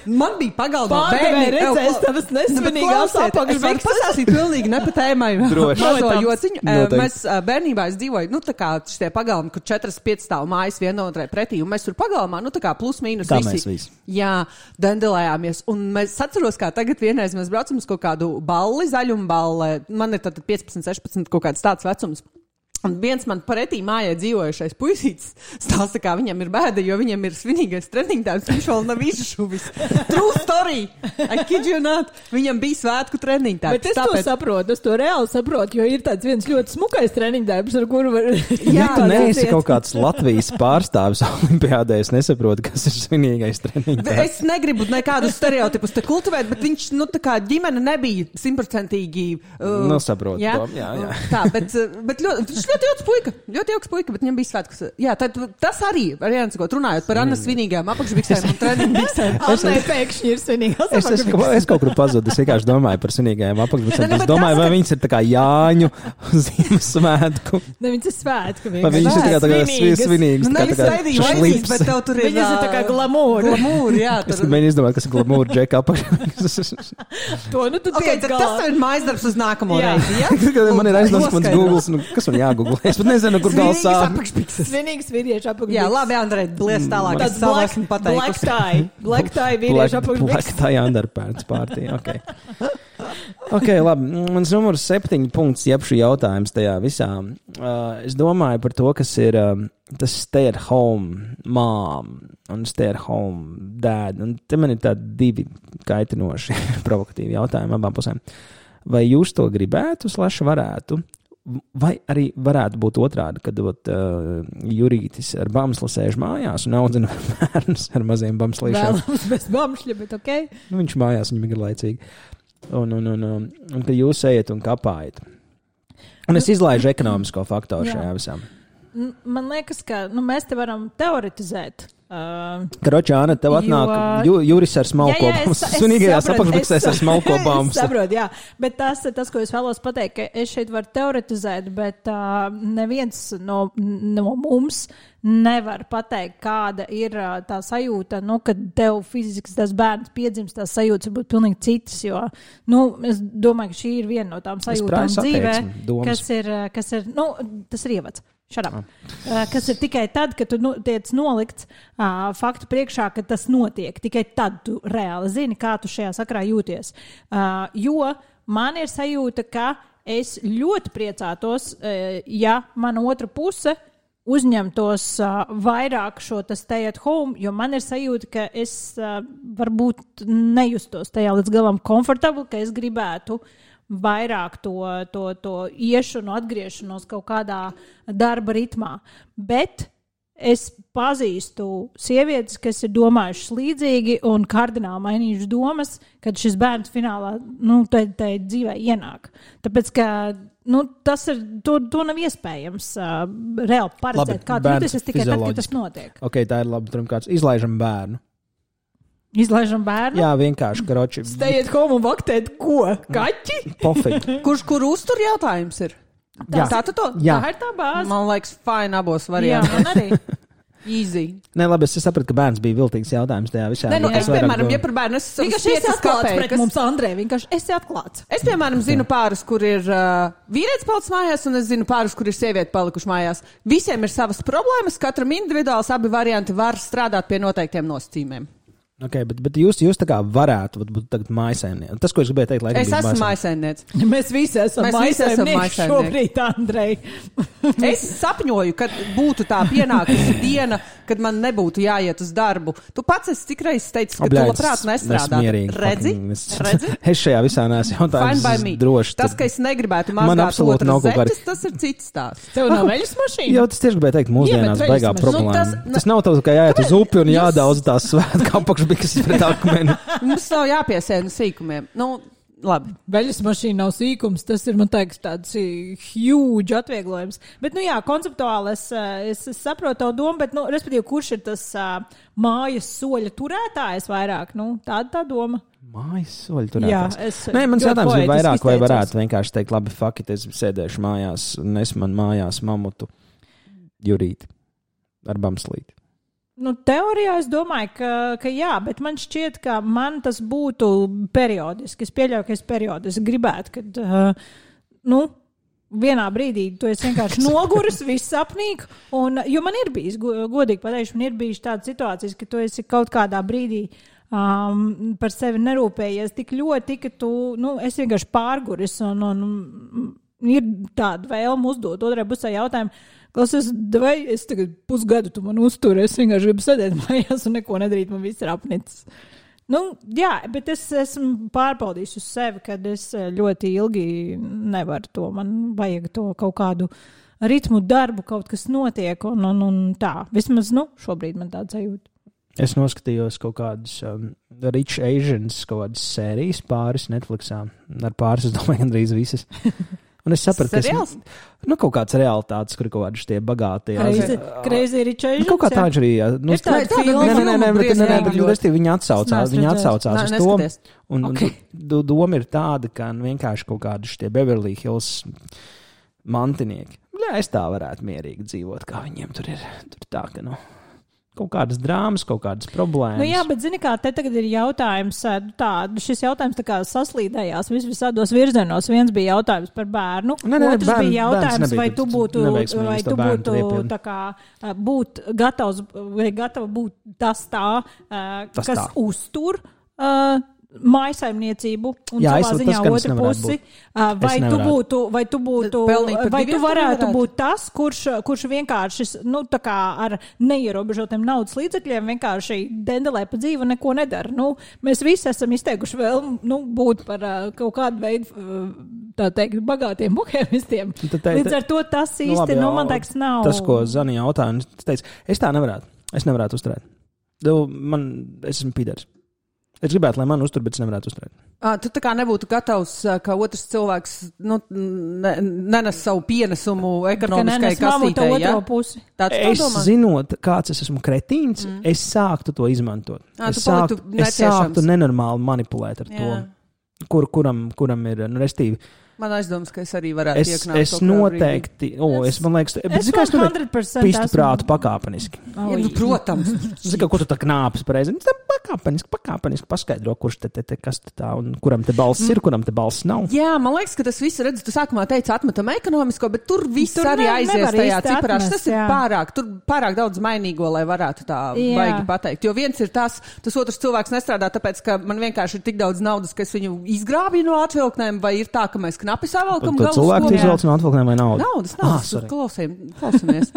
Man bija pagalmā
Pārdevēja redzēs
Ew,
tavas
nu, bet
nesvinīgās
klausiet, Es varu
apakšbikses.
pastāstīt pilnīgi ne pa tēmai.
Droši.
Mazo
Protams.
jociņu. Eh,
Noteikti.
Mēs eh, bērnībā es dzīvoju, nu tā kā šitie pagalmi, kur četras piecas stāv mājas vienotrai pretī, un mēs tur pagalmā, nu tā kā plus mīnus
Kā
visi.
mēs visi.
Jā, dandelējāmies. Un mēs atceros, kā tagad vienreiz mēs braucam uz kaut kādu balli, zaļumu balli. Man ir tad piecpadsmit, sešpadsmit kaut kāds tāds vecums. Un viens man pretī mājā dzīvojušais puisītis stāsta, kā viņam ir bēda, jo viņam ir svinīgais treniņtājs, viņš vēl nav izšuvis. True story! I kid you not! Viņam bija svētku treniņtājs.
Bet es to saprotu, es to reāli saprotu, jo ir tāds viens ļoti smukais treniņdarbs, ar kuru var...
Jā,
Tu neesi
aiziet.
kaut kāds Latvijas pārstāvis olimpiādē, es nesaprotu, kas ir svinīgais treniņš.
Es negribu nekādus stereotipus te kultivēt, bet viņš, nu, tā kā ģimene nebija simtprocentīgi. Uh,
Nu, saprotu
jā,
to, jā, jā.
Tā, bet, uh, bet ļoti, viņš ļoti jauks puika, ļoti jauks puika, bet viņam bija svētkus. Jā, tad tas arī, variants, ko runājot par Annas svinīgām apakšbiksēm un treniņbiksēm.
Annai pēkšņi ir svinīgās
Es, es,
apakšbikses.
es kaut kur pazudu, es vienkārši domāju par svinīgajām
Ne,
apakšbiksēm.
ne,
Es
bet
domāju,
tas,
vai
ka-
viņas ir tā kā Jāņu Ziemassvētku,
Ne, viņas ir svētku.
vai viņas ir tā kā, tā kā svi- svinīgas.
Nu,
tā kā-
nevis
tā kā
raidījuma
šašlips.
vajadzīgs, bet tev tur ir.
Viņas ir tā kā
ā,
glamūra.
Glamūra, jā.
Es
Tur.
mēģinu izdomāt, kas ir glamūra džeka apakšbikses.
To nu tu
Okay,
tiec
tad
galā.
tas ir mājas darbs uz nākamo
Jā.
reizi, jā?
Kad man ir aizdoms mans
Noskaidro.
Google, nu, kas man jāgoogle. Es pat nezinu, kur gals
Svinīgas
sāp.
apakšbikses.
Svinīgs vīriešu apakšbikses.
Jā, labi, Andrej, liec tālāk.
Tāds
Es savu
black,
esmu
black
pateikusi.
tie. Black tie
Black,
vīriešu apakšbikses.
black tie underpants pārtī, ok. Ok, labi. Mans numurs septiņi punkts, jeb šī jautājums tajā visā. Uh, es domāju par to, kas ir um, tas stay at home mom un stay at home dad. Un te man ir tādi divi kaitinoši provokatīvi jautājumi abām pusēm. Vai jūs to gribētu, slash varētu? Vai arī varētu būt otrādi, kad ot, uh, Jurītis ar bamslu sēž mājās un audzina bērnus ar maziem bamslīšiem?
Vēlams bez bamšļa, bet ok.
Nu, viņš mājās, viņam ir laicīgi. Un, un, un, un, un kad jūs ejat un kapājat. Un es izlaižu ekonomisko faktoru
Jā.
šajā visā.
N- Man liekas, ka nu, mēs te varam teoretizēt Uh,
Karoči, Āna, tev atnāk
jo,
ju, Juris ar smalko bāmu. Sunīgajās apakšbiksēs ar smalko bāmu.
Es saprotu, jā. Bet tas, tas, ko es vēlos pateikt, ka es šeit varu teoretizēt, bet uh, neviens no, no mums nevar pateikt, kāda ir uh, tā sajūta, nu, kad tev fiziski tas bērns piedzimst, tās sajūtas var būt pilnīgi citas, jo, nu, es domāju, ka šī ir viena no tām sajūtām dzīvē, kas ir, kas ir, nu, tas ir ievads. Šarap. Uh, kas ir tikai tad, kad tu nu, tiec nolikts uh, faktu priekšā, ka tas notiek. Tikai tad tu reāli zini, kā tu šajā sakarā jūties. Uh, jo man ir sajūta, ka es ļoti priecātos, uh, ja mana otra puse uzņemtos uh, vairāk šo stay at home, jo man ir sajūta, ka es uh, varbūt nejustos tajā līdz galam komfortabli, ka es gribētu vairāk to, to, to iešanu, atgriešanos kaut kādā darba ritmā. Bet es pazīstu sievietes, kas ir domājušas līdzīgi un kardināli mainījušas domas, kad šis bērns finālā, nu, tai, tai dzīvē ienāk. Tāpēc, ka, nu, tas ir, to, to nav iespējams uh, reāli paredzēt, kā tu jūties tikai tad, kad tas notiek.
Ok, tā ir labi, pirmkārt, izlaižam bērnu.
Izlaižam bērnu?
Jā, vienkārši, karoči.
Steiet home un vaktēt ko? Kaķi?
Pofīgi.
Kurš, kur uztur jautājums ir?
Jā.
Tā, tā,
Jā.
tā ir tā bāze.
Man liekas, fine abos
Jā,
variantos.
man arī.
Easy.
Nē, labi, es sapratu, ka bērns bija viltīgs jautājums tajā visā.
Nē, nu, es,
vairāk
piemēram,
do-
ja par bērnu, es esmu
Vienkārši esi atklāts pret mums, Andrē. Vienkārši esi atklāts.
Es, piemēram, zinu pāris, kur ir uh, vīrietis palicis mājās, un es zinu pāris, kur ir sieviete palikuši mājās. Visiem ir savas problēmas, katram individuāls abi varianti var strādāt pie noteiktiem nosacījumiem.
Okay, bet, bet jūs, jūs tā kā varētu būt, būt tagad mājsaimnieki. Tas, ko es gribēju teikt, lai
Es esmu mājsaimniece.
Mēs visi esam
Mēs visi esam
mājsaimnieki
mājsaimnieki.
šobrīd, Andrej.
Es sapņoju, kad būtu tā pienākusi diena, kad man nebūtu jāiet uz darbu. Tu pats esi cik reizes teicis, ka
Obļā,
tu labprāt nestrādātu. Redzi?
Es,
Redzi?
es šajā visā neesmu jautājums.
Fine by me.
Droši.
Tas, ka es negribētu
Man
mazgāt
absolūti nav
otras
kaut kāda-
zeķes, tas ir cits stāsts.
Tev nav veļas mašīna?
Jā, tas tieši gribēju teikt, mūsdienās
Iemet
baigā
veļas
problēma.
mašīnu.
Tas,
Nu, tas-
tas nav tā, ka jāiet uz upi un jādaudz tās svētku apakšbiksas pret akmeni.
Mums nav jāpiesēna sīkumiem. Nu, labi.
Veļas mašīna nav sīkums, tas ir, man teiks, tāds huge atvieglojums. Bet, nu jā, konceptuāli es, es, es saprotu tavu domu, bet, nu, respektīvi, kurš ir tas uh, mājas soļa turētājs vairāk? Nu, tāda tā doma.
Mājas soļi tur
Jā,
ētās.
es
Nē, mans
ļoti
jautājums bija
poētiski
vairāk, vai
izteicos.
varētu vienkārši teikt, labi, fuck it, es sēdēšu mājās, nes man mājās mamutu Jurīti ar bamslīti.
Nu, teorijā es domāju, ka, ka jā, bet man šķiet, ka man tas būtu periodiski. Es pieļauju, ka es periodiski gribētu, kad, uh, nu, vienā brīdī tu esi vienkārši noguris, viss sapnīgi, un, jo man ir bijis, go- godīgi pateikšu, man ir bijis tādas situācijas, ka tu esi kaut kādā brīdī um, par sevi nerūpējies tik ļoti, ka tu, nu, esi vienkārši pārguris, un, un ir tāda vēlme uzdot otrai pusē jautājumu, klausies, vai es tagad pusgadu tu man uzturu, es vienkārši gribu sēdēt mājās un neko nedarīt, man viss ir apnicis. Nu, jā, bet es esmu pārbaudījis uz sevi, kad es ļoti ilgi nevaru to, man vajag to kaut kādu ritmu darbu, kaut kas notiek, un, un, un tā. Vismaz, nu, šobrīd man tāds sajūta.
Es noskatījos kaut kādas um, Rich Asians, kaut kādas sērijas pāris Netflixā. Ar pāris, es domāju, gandrīz visas. Un es sapratu, ka
Seriāls?
es, nu, kaut kāds realitātes, kur ir kaut kādi šie bagātie.
Crazy, crazy Rich Asians,
Kaut kā
jā.
tā viņš arī. jā, Nu,
Ir tāda
tā-
filma,
Nē, nē, nē, nē, bet, nē, nē, bet
briesmīgi
restīvi viņi atsaucās,
Es neesmu
viņi
redzējis.
atsaucās
Nē,
uz to.
neskaties.
Un,
Okay.
un do- doma ir tāda, ka nu, vienkārši kaut kādi šie Beverly Hills mantinieki. Jā, es tā varētu mierīgi dzīvot, kā viņiem tur ir. Tur tā, ka, nu, kaut kādas drāmas, kaut kādas problēmas.
Nu jā, bet zini kā, te tagad ir jautājums, tā, šis jautājums tā kā saslīdējās vis visādos virzienos. Viens bija jautājums par bērnu,
Nē, nē,
otrs
bērn-
bija
bērns
jautājums,
nebija
vai tu
tāds
būtu,
neveiksmīgs
vai
to
tu
bērnu
būtu
triepienu.
tā kā ā, būt gatavs, vai gatava būt tas tā, ā,
Tas
kas
tā.
uztur uh, mājasaimniecību un
Jā,
savā
es- tas
ziņā
gan es
otru
nevarētu
pusi.
būt.
Uh, vai
Es
tu
nevarētu.
būtu, vai tu būtu,
Pelnīt par
vai tu
diviem tu
varētu
nevarētu?
būt tas, kurš, kurš vienkārši, nu, tā kā ar neierobežotiem naudas līdzekļiem vienkārši dendelē pa dzīvi un neko nedara. Nu, mēs visi esam izteikuši vēl, nu, būt par uh, kaut kādu veidu, uh, tā teikt, bagātiem buhēmistiem.
Tad te-
Līdz ar to tas
Nu,
īsti,
labi,
nu,
jā,
man teiks, nav.
Tas, ko Zanija jautāja, un es teicu, es tā nevarētu. Es nevarētu uzturēt. Tu, man, es esmu pīdērs. Es gribētu, lai man uztur, bet es nevarētu uzturēt.
À, tu tā kā nebūtu gatavs, ka otrs cilvēks nu, ne, nenes savu pienesumu ekonomiskai kastītei, ja? Tāds
es zinot, kāds es esmu kretīns, mm. es sāktu to izmantot.
À,
es, sāktu, es sāktu nenormāli manipulēt ar to, kur, kuram, kuram ir, nu, restīvi.
Man aizdomas, ka es arī varētu
es,
ieknāt.
Es noteikti, o, oh, es man liekas, bet zinu, kā es noteikti pistu prātu pakāpeniski.
Oh, ja, nu, protams.
Zinu, ko tu tā knāpes pareizi. Pakāpeniski, pakāpeniski paskaidro, kurš te, te, te kas te tā, un kuram te balss ir, kuram te balss nav.
Jā, man liekas, ka tas viss, redz, tu sākumā teici atmetam ekonomisko, bet tur viss tur arī aizies tajā ciparā. Tas ir pārāk, tur pārāk daudz mainīgo, lai varētu tā jā. Baigi pateikt. Jo viens ir tas, tas otrs cilvēks nestrādā, tāpēc, ka man vienkārši ir tik daudz naudas, ka es viņu izgrābju no atvilknēm, vai ir tā, ka mēs knapi savalkam galvas.
Cilvēku izvelc no atvilknēm vai naudu?
Naudas, naudas. Ah, klausījum, klausamies.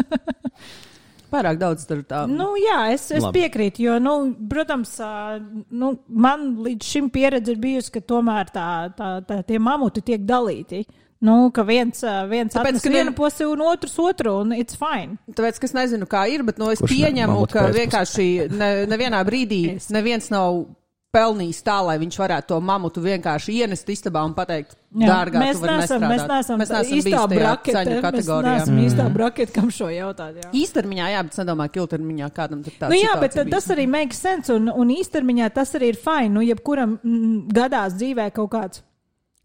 Pārāk daudz tur tā.
Nu, jā, es, es piekrītu, jo, nu, protams, nu, man līdz šim pieredze ir bijusi, ka tomēr tā, tā, tā, tie mamuti tiek dalīti. Nu, ka viens, viens
Tāpēc,
atnes
ka
vienu
vien...
pusi un otrs otru, un it's fine.
Tāpēc, ka es nezinu, kā ir, bet, nu, es
Kurš
pieņemu,
ne,
ka vienkārši ne, nevienā brīdī es. neviens nav pelnījis tā, lai viņš varētu to mamutu vienkārši ienest istabā un pateikt, jā, dārgā, tu vari
nesam,
nestrādāt.
Mēs neesam,
mēs neesam
īstā brakete, mēs neesam
Mm.
īstā brakete, kam šo jautāt. Jā.
Īstermiņā, jā, bet es nedomāju, ka ilgtermiņā kādam tur tāds
nu, jā, bet tas
bijis.
arī makes sense, un, un īstermiņā tas arī ir fine. Nu, jebkuram mm, gadās dzīvē kaut kāds,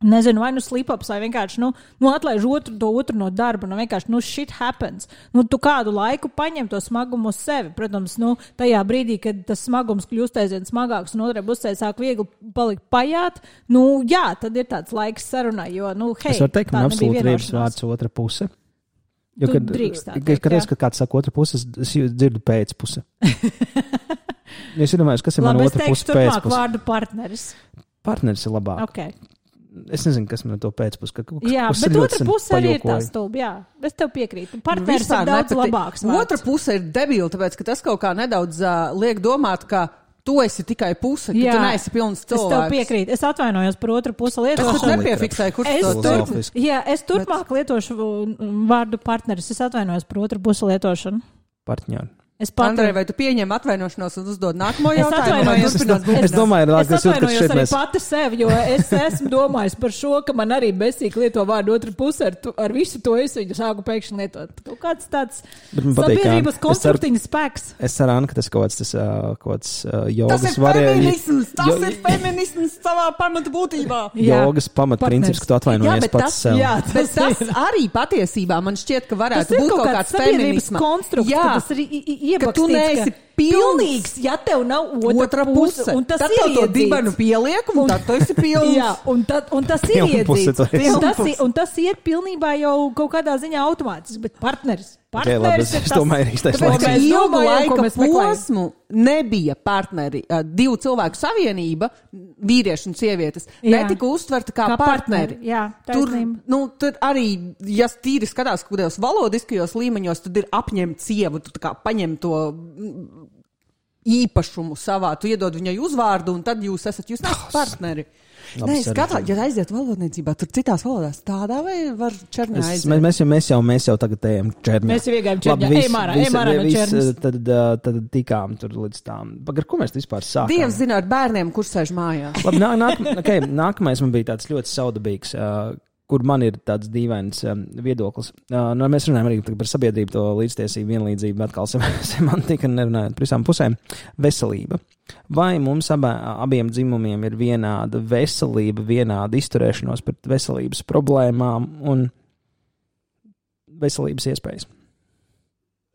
nezinu, vai nu slip-ups, vai vienkārši, nu, nu atlaiž otru, to otru no darba, nu, vienkārši, nu, shit happens. Nu, tu kādu laiku paņem to smagumu uz sevi. Protams, nu, tajā brīdī, kad tas smagums kļūst aizvien smagāks un otrai pusē sāk viegli palikt pajāt, nu, jā, tad ir tāds laiks sarunai, jo, nu, hei,
es varu teikt, man absolūti riebs vārds otra puse. Jo, kad, kad, kad, kad kāds saka otra puse, es dzirdu pēcpuse. Es domāju, kas ir man otra puse pēcpuse.
Labi, es teikšu turpmāk vārdu partneris.
Partneris ir labāk.
Okay.
Es nezinu, kas man to pēcpus. Ka,
jā, bet otra puse arī ir tā stulba. Jā, es tev piekrītu. Partneris ir daudz nepati... labāks. Vārds.
Otra puse ir debila, tāpēc, ka tas kaut kā nedaudz uh, liek domāt, ka tu esi tikai puse, ka jā, tu neesi pilns cilvēks.
Es tev piekrītu. Es atvainojos par otru pusi lietošanu.
Es nepiefiksēju, kurš
es
to
tur, jā, es turpmāk bet... lietošu vārdu partneris. Es atvainojos par otru pusi lietošanu.
Partņāri.
Andrej, vai tu pieņem atvainošanos un uzdod nākamo jautājumu?
Es, es, es domāju,
es, es atvainojos arī
mēs...
pati sev, jo es esmu domājis par šo, ka man arī besīgi lieto vārdu otra puse, ar, tu, ar visu to es viņu sāku pēkšņi lietot. Kaut kāds tāds sabiedrības konstruktīvs spēks.
Es ceru, ka tas kaut kāds, tas, kaut kāds uh, jogas
tas ir feminisms, tas jā, ir feminisms savā pamata būtībā.
Jogas pamatprincips, ka tu atvainojies pats
tas,
sev.
Jā, bet tas, tas arī patiesībā man šķiet, ka varētu būt kaut kāds feminisma.
Konstrukts,
ka tu neesi
pilnīgs, ja tev nav otra, otra puse. Un tas
tad
ir
iedzīts. Tad to dibanu pieliek, un, un tad tu esi pilns.
Jā, un, tad, un tas ir iedzīts. Un tas, un tas ir pilnībā jau kaut kādā ziņā automātiski, bet partneris.
Okay, labi, es, es domāju, ir īstais laiks.
Tāpēc ilgu laika posmu nebija partneri, divu cilvēku savienība, vīrieši un sievietes, jā. netika uztverta kā, kā partneri.
partneri. Jā,
tur, nu, tur arī, ja tīri skatās kādos valodiskajos līmeņos, tad ir apņemt sievu, tu tā kā paņem to īpašumu savā, tu iedod viņai uzvārdu, un tad jūs esat, jūs nesat partneri. Nē, skatā, ja aiziet valodniecībā, tur citās valodās tādā vai var čerņā aiziet?
Mēs, mēs, jau, mēs, jau, mēs jau tagad ejam čerņā.
Mēs jau iegājam čerņā. Ejam ārā, ejam ārā no čerņas.
Tad, tad tikām tur līdz tām. Par ko mēs vispār sākām?
Dievs zina ar bērniem, kur sēž mājās.
Labi, nā, nāk, okay, nākamais man bija tāds ļoti saudabīgs, uh, kur man ir tāds dīvains um, viedoklis. Uh, nu, mēs runājam arī par sabiedrību, to līdztiesību, vienlīdzību, atkal semantika, nerunājot par visām pusēm. Veselība. Vai mums abā, abiem dzimumiem ir vienāda veselība, vienāda izturēšanos pret veselības problēmām un veselības iespējas?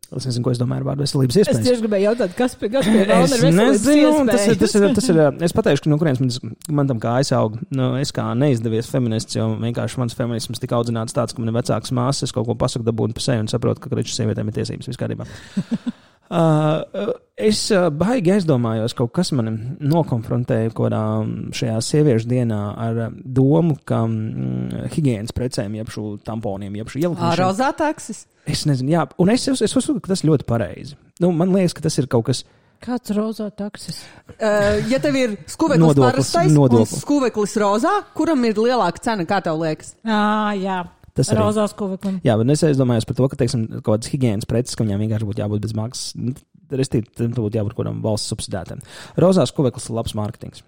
Es nezinu, ko es domāju ar vārdu veselības iespējas.
Es tieši gribēju jautāt, kas pie kas pie Rauna ir veselības iespējas.
Tas ir, tas ir, tas ir, es pateikšu, ka no kurienes man, man tam kā aizauga. Nu, es kā neizdevies feminists, jo vienkārši mans feminisms tika audzināts tāds, ka man ir vecāks māsas, es kaut ko pasaku dabūnu pa sevi un saprotu, ka kreču sievietēm ir tiesības viskādībā. Uh, es uh, baigi aizdomājos, kaut kas mani nokonfrontēja kodā šajā sieviešu dienā ar domu, ka mm, higienas precēm, jeb šo tamponiem, jeb šo ielikšanu.
Rozā taksis?
Es nezinu, jā, un es, es, es uzskatu, ka tas ļoti pareizi. Nu, man liekas, ka tas ir kaut kas.
Kāds rozā taksis?
Uh, ja tev ir skuveklis parastais un skuveklis rozā, kuram ir lielāka cena, kā tev liekas?
Ā, jā.
Tas
ir rozās skuveklim.
Jā, bet es aizdomājos par to, ka, teiksim, kaut kādas higienas preces, ka viņām vienkārši būtu jābūt bez maksas. Restīvi, tam būtu jābūt kādam valsts subsidētam. Rozās skuveklis ir labs mārketings.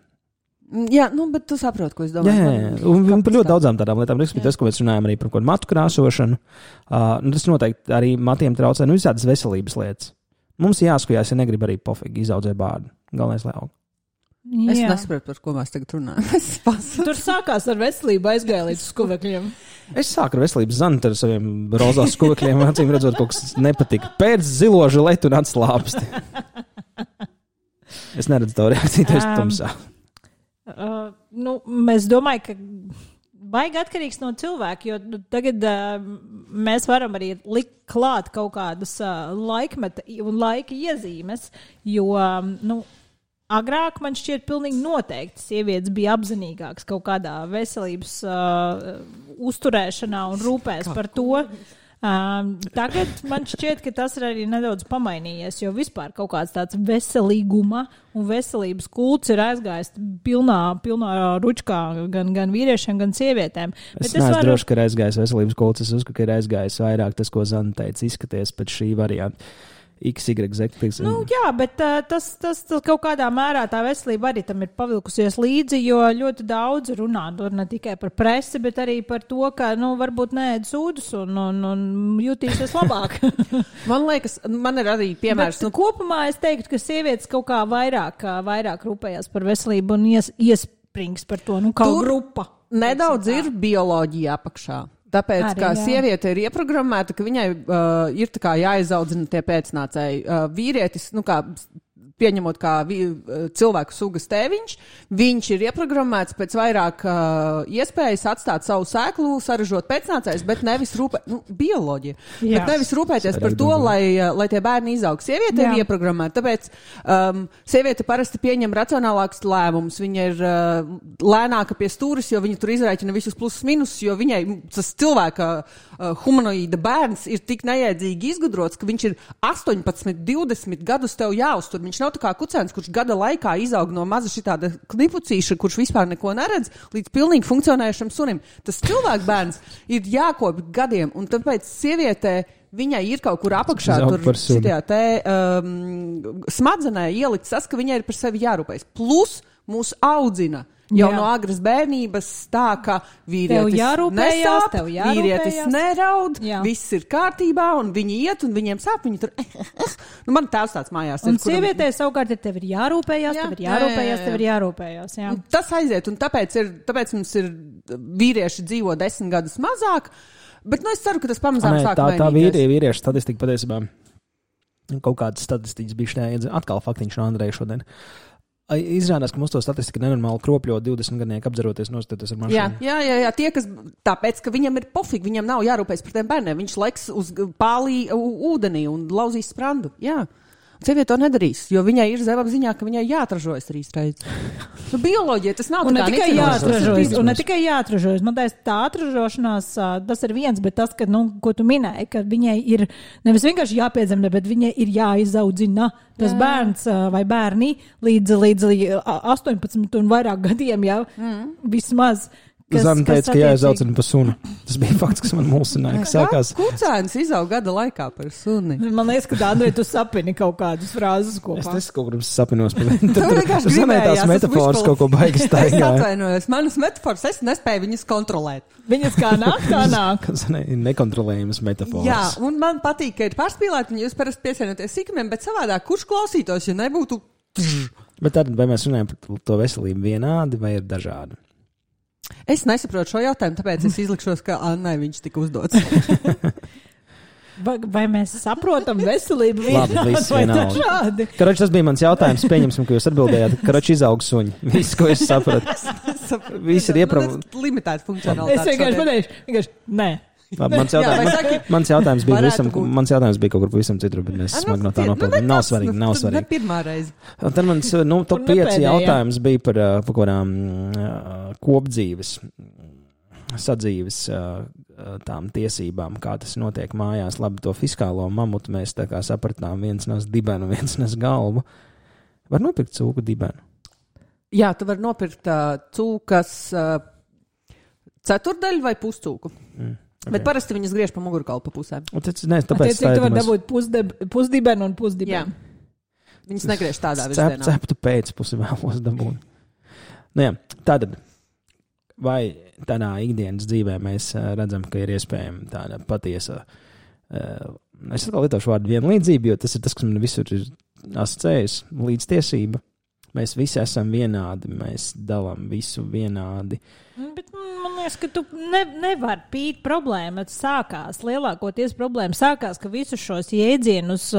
Jā, nu, bet tu saproti, ko es domāju.
Jā, jā, jā. Un, un par ļoti daudzām tādām lietām, respektīvi tas, ko mēs runājam arī par kaut kādu matu krāsošanu, uh, nu, tas noteikti arī matiem traucē, nu, visādas veselības lietas. Mums jāskujās, ja negrib arī pofīgi izaudzē bārdu. Galvenais, lai aug.
Es nesaprotu, par ko mēs tagad runājam.
Tur sākās ar veselību aizgāja līdz skuvekļiem.
Es sāku ar veselības zantu ar saviem rozās skuvekļiem, acīm redzot, kaut kas nepatika. Pēc zilo žiletu un atslāpsti. Es neredzu tavu reakciju, tas um, tumsā.
Uh, nu, mēs domāju, ka baigi atkarīgs no cilvēka, jo nu, tagad uh, mēs varam arī likt klāt kaut kādas uh, laikmeta un laika iezīmes, jo, um, nu, agrāk man šķiet pilnīgi noteikti sievietes bija apzinīgākas kaut kādā veselības uh, uzturēšanā un rūpēs par to. Um, tagad man šķiet, ka tas ir arī nedaudz pamainījies, jo vispār kaut kāds tāds veselīguma un veselības kults ir aizgājis pilnā, pilnā ručkā gan, gan vīriešiem, gan sievietēm.
Es, es neesmu varu... droši, ka ir aizgājis veselības kults, es uzskatu, ka ir aizgājis vairāk tas, ko Zana teica, izskaties pēc šī varianta. X, Y, Z.
Nu, jā, bet uh, tas, tas, tas kaut kādā mērā tā veselība arī tam ir pavilkusies līdzi, jo ļoti daudz runā ne tikai par presi, bet arī par to, ka, nu, varbūt neēd sūdus un, un, un jutīsies labāk.
Man liekas, man ir arī piemērs.
Bet, nu, kopumā es teiktu, ka sievietes kaut kā vairāk, vairāk rūpējās par veselību un ies, iesprings par to, nu, kaut grupa.
Nedaudz ir bioloģija apakšā. Tāpēc, arī, kā jā. Sieviete ir ieprogrammēta, ka viņai uh, ir tā kā jāizaudzina tie pēcnācēji. Uh, vīrietis, nu kā pieņemot kā vi, cilvēku sugas tēviņš, viņš ir ieprogrammēts pēc vairāk uh, iespējas atstāt savu sēklu, saražot pēcnācējus, bet nevis rūpē, nu, bioloģija, jā. Bet nevis rūpēties par to, lai, lai tie bērni izaug. Sieviete jā. Ir ieprogrammēta, tāpēc um, sieviete parasti pieņem racionālākus lēmumus, viņa ir uh, lēnāka pie stūris, jo viņa tur izrēķina visus plusus minusus, jo viņai tas cilvēka uh, humanoīda bērns ir tik nejēdzīgi izgudrots, ka viņš ir astoņpadsmit, divdesmit gadus tev jāuztur. Viņš nav tā kā kucēns, kurš gada laikā izaug no maza šitāda knipucīša, kurš vispār neko neredz, līdz pilnīgi funkcionējušam sunim. Tas cilvēku bērns ir jākopj gadiem, un tāpēc sievietē viņai ir kaut kur apakšā tur šitajā te um, smadzenē ielikt tas, ka viņai ir par sevi jārūpējas. Plus mūs audzina. Jau jā. No agras bērnības tā, ka vīrietis nesāp, vīrietis neraud, jā. Viss ir kārtībā, un viņi iet, un viņiem sāp, viņi tur, nu, man tēvs tāds mājās ir.
Un sievietē savukārt ir tev ir jārūpējās, jā. Tev ir jārūpējās, jā, jā, jā. Tev ir jārūpējās, jā.
Tas aiziet, un tāpēc, ir, tāpēc mums ir vīrieši dzīvo desmit gadus mazāk, bet, nu, es ceru, ka tas pamazām
Nē,
sāk
tā,
mainīties.
Tā vīrie, vīriešu statistika patiesībā, kaut kādas statistikas bija šeit, atkal faktiņš no Andreja šodien. Izrādās, ka mums to statistika nenormāli kropļo divdesmit gadnieku apdzeroties nostāties ar mašīnu.
Jā, jā, jā, jā, tie, kas tāpēc, ka viņam ir pofīgi, viņam nav jārūpējas par tiem bērniem, viņš leks uz pālī ūdenī un lauzīs sprandu, jā. Sieviete to nedarīs, jo viņai ir zemapziņā, ka viņai jāatražojas trīs reizes. Nu, bioloģija, tas nav
un
tā kā
ne tikai jāatražojas, un ne tikai jāatražojas. Man teiks, tā atražošanās, tas ir viens, bet tas, ka, nu, ko tu minēji, ka viņai ir nevis vienkārši jāpiedzemdē, bet viņai ir jāizaudzina tas jā. Bērns vai bērni līdz, līdz astoņpadsmit un vairāk gadiem, jā, mm. vismaz.
Kas, Zana teica, ka jāizaucina par suni. Tas bija fakts, kas man mulsināja, ka sākās.
Kucēns izaug gada laikā par suni.
Man liekas, ka Andrej, tu sapini kaut kādus frāzes kopā.
Es nesaku, kaut kur sapinos par viņu. Tu Zanai tās metafors kaut ko baigas staigāja.
Es atvainojos, manas metafors, es nespēju viņas kontrolēt.
Viņas kā nāk, kā nāk.
Zanai ir nekontrolējamas metafors.
Jā, un man patīk, ka ir pārspīlēt, un jūs parasti piesienoties sīkumiem, bet savādāk, kurš klausītos, ja nebūtu...
Bet tad, vai mēs runājam par to veselību vienādi vai ir dažādi?
Es nesaprotu šo jautājumu, tāpēc es izlikšos, ka Annai viņš tika uzdots.
vai, vai mēs saprotam veselību
vienādi vai dažādi? Karoči, tas bija mans jautājums. Pieņemsim, ka jūs atbildējāt. Karoči, izaug suņi. Viss, ko es sapratu. Viss ir ieprav...
Limitēta funkcionalitāte.
Es vienkārši pateikšu, vienkārši, nē.
Labi, mans, jautājums, Jā, saki, mans, jautājums bija visam, mans jautājums bija kaut kur pavisam citur, bet mēs smagi no tā nopildām. Nav svarīgi, nav svarīgi.
Ne pirmā reize.
Un tad mans, nu, top pieci jautājums bija par, par kādām uh, kopdzīves, sadzīves uh, tām tiesībām, kā tas notiek mājās. Labi, to fiskālo mamutu mēs tā kā sapratām, viens nes dibenu, viens nes galvu. Var nopirkt cūku dibenu?
Jā, tu var nopirkt uh, cūkas uh, ceturdaļu vai puscūku. Mm. Okay. Bet parasti viņas griež pa mugurkaulu pa pusēm.
Tas, ne, tāpēc
Attiecīgi, tu var dabūt pusdeb, pusdibenu un pusdibenu.
Jā. Viņas negriež tādā virzienā.
Ceptu pēc pusi vēlos dabūt. Nu, jā, tātad, vai tādā ikdienas dzīvē mēs uh, redzam, ka ir iespējama tāda patiesa, uh, es atkal lietošu vārdu vienlīdzība, jo tas ir tas, kas man visur ir asociējis, līdztiesība. Mēs visi esam vienādi, mēs dalām visu vienādi.
Bet man liekas, ka tu ne, nevar pīt problēma. Sākās, lielākoties problēma sākās, ka visus šos jēdzienus,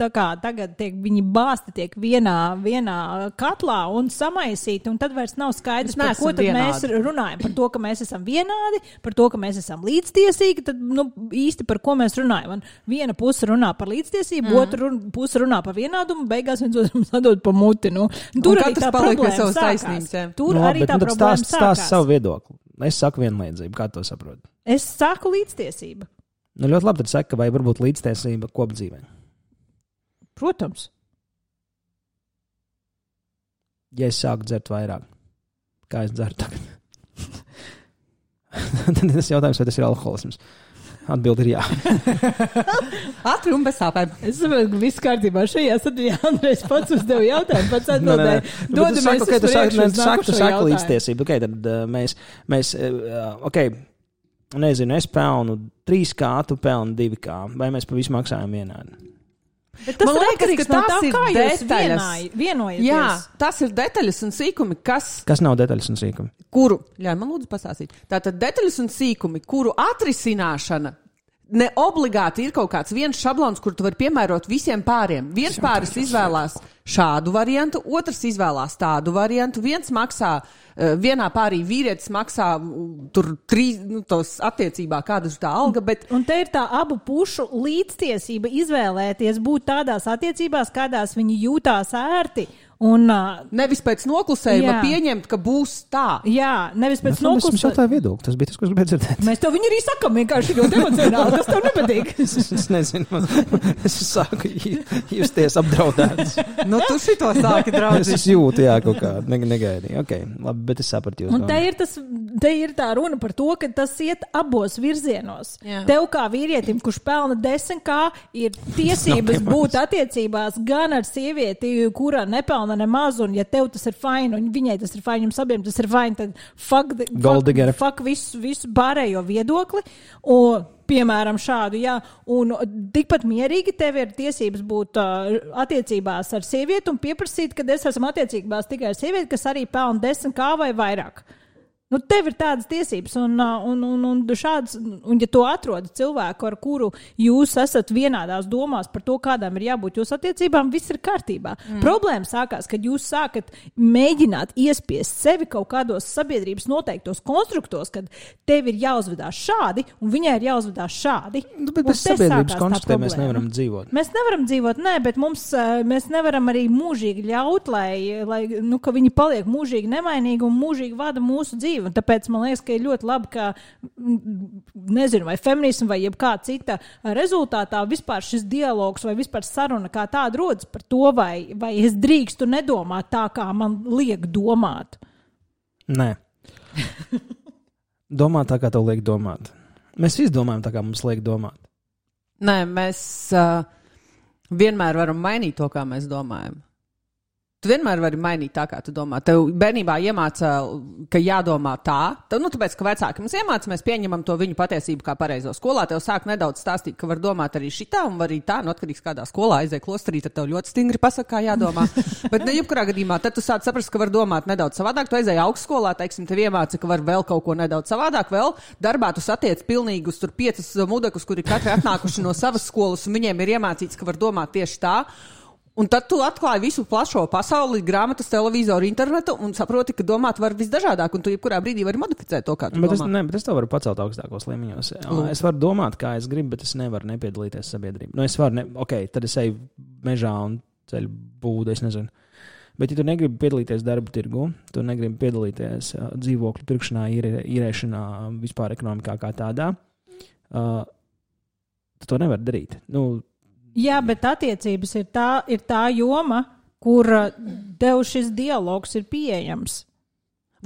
tā kā tagad tiek, viņi bāsti tiek vienā, vienā katlā un samaisīti, un tad vairs nav skaidrs, par ko tad vienādi. Mēs runājam. Par to, ka mēs esam vienādi, par to, ka mēs esam līdztiesīgi, tad nu, īsti par ko mēs runājam. Un viena puse runā par līdztiesību, mm. otra puse runā par vienādumu, beigās viens otram sadod pa muti. Nu. Tur un arī tā problēma sākās. Tur no, arī tā nu, problēma stāst, sākās.
Savu viedokli. Es saku vienlīdzību, kā to saprot?
Es saku līdztiesība.
Nu, ļoti labi, tad saka, vai varbūt līdztiesība kopdzīvē.
Protams.
Ja es sāku dzert vairāk, kā es dzeru tagad? Tad tas jautājums, vai tas ir alkoholisms? Atbildi ir jā.
Ātri un bez sāpēm.
Es saprotu, ka viss kārtībā šajā sadiņā Andrejs pats uzdev jautājumu, pats atbildēja. Dodamies uz priekšu uz nākušo jautājumu.
Līdztiesību. Ok, tad uh, mēs, mēs uh, ok, nezinu, es pelnu trīs kā, tu pelnu divi kā. Vai mēs pa visu maksājam vienādi?
Bet tas man liekas, ka no tā, kā jūs vienāj, vienojaties. Jā,
tas ir detaļas un sīkumi, kas...
Kas nav detaļas un sīkumi?
Kuru, ļauj man lūdzu pasāstīt. Tātad detaļas un sīkumi, kuru atrisināšana ne obligāti ir kaut kāds viens šablons, kur tu vari piemērot visiem pāriem. Viens pāris izvēlās šādu variantu, otrs izvēlās tādu variantu, viens maksā, vienā pārī vīrietis maksā tur trīs, nu, tos attiecībā, kāda ir tā alga, bet...
Un te ir tā abu pušu līdztiesība izvēlēties būt tādās attiecībās, kādās viņi jūtās ērti. Un, uh,
nevis pēc noklusējuma pieņemt, ka būs tā.
Jā, nevis pēc
noklusējuma.
noklusējuma.
Mēs jautāju viedokli, tas bija tas, ko es gribēju dzirdēt.
Mēs to viņu arī sakam, vienkārši ļoti emocionāli, kas tev nepatīk.
es, es nezinu, es sāku justies apdraudēts.
Nu, tu šito sāki draudzīt.
Es jūtu, jā, kaut kā, ne, negaidīju. Ok, labi, bet es sapratu jūs.
Un te ir, tas, te ir tā runa par to, ka tas iet abos virzienos. Jā. Tev kā vīrietim, kurš pelna desmit kā, ir tiesības būt attiecībās gan ar sievieti, kura nepelna nemaz, un ja tev tas ir fine, un viņai tas ir fine, jums abiem tas ir fine, tad fuck, fuck, fuck visu, visu pārējo viedokli, un, piemēram, šādu, jā, un tikpat mierīgi tev ir tiesības būt uh, attiecībās ar sievieti un pieprasīt, kad es esmu attiecībās tikai ar sievieti, kas arī pelna desmit kā vai vairāk. Nu, tev ir tādas tiesības, un, un, un, un šāds, un ja to atrod cilvēku, ar kuru jūs esat vienādās domās par to, kādām ir jābūt jūsu attiecībām, viss ir kārtībā. Mm. Problēma sākās, kad jūs sākat mēģināt iespiest sevi kaut kādos sabiedrības noteiktos konstruktos, kad tev ir jāuzvedās šādi, un viņai ir jāuzvedās šādi.
Nu, bet bez sabiedrības konstruktiem mēs nevaram dzīvot.
Mēs nevaram dzīvot, nē, bet mums, mēs nevaram arī mūžīgi ļaut, lai, lai nu, ka viņi paliek mūžīgi nemainīgi un mūžīgi vada mūsu dzīvi. Un tāpēc man liekas, ka ir ļoti labi, ka, nezinu, vai feminismu vai jebkā cita rezultātā vispār šis dialogs vai vispār saruna kā tāda rodas par to, vai, vai es drīkstu nedomāt tā, kā man liek domāt.
Nē. Domāt tā, kā tev liek domāt. Mēs izdomājam tā, kā mums liek domāt.
Nē, mēs uh, vienmēr varam mainīt to, kā mēs domājam. Tu vienmēr vari mainīt tā, kā tu domā. Tev bērnībā iemāca, ka jādomā tā. Tev, nu, tāpēc, ka vecāki mums iemāca, mēs pieņemam to viņu patiesību kā pareizo. Skolā tev sāk nedaudz stāstīt, ka var domāt arī šitā un var arī tā, nu, atkarīgs kādā skolā aizēj klosterī, tad tev ļoti stingri pasaka, kā jādomā. Bet ne jebkurā gadījumā, tad tu sāc saprast, ka var domāt nedaudz savādāk. Tu aizēj augstskolā, teiksim, tev iemāca, ka var vēl kaut ko nedaudz savādāk. Vēl darbā tu satiec pilnīgus tur piecus mudekus, kuri katri atnākuši no savas skolas, un viņiem ir iemācīts, ka var domāt tieši tā. Un tad tu atklāji visu plašo pasauli, grāmatas, televizoru, internetu un saproti, ka domāt var visdažādāk, un tu jebkurā brīdī vari modificēt to, kā tu
bet
domā.
Es, ne, bet es to varu pacelt augstākos līmeņos. Mm. Es varu domāt, kā es gribu, bet es nevaru nepiedalīties sabiedrībā. Nu, es varu, ne, ok, tad es eju mežā un ceļu būdu, es nezinu. Bet, ja tu negribi piedalīties darba tirgu, tu negribi piedalīties uh, dzīvokļu pirkšanā, īrē, īrēšanā, vispār ekonomikā kā tādā, uh, tu to nevar darīt. Nu,
jā, bet attiecības ir tā, ir tā joma, kur tev šis dialogs ir pieejams.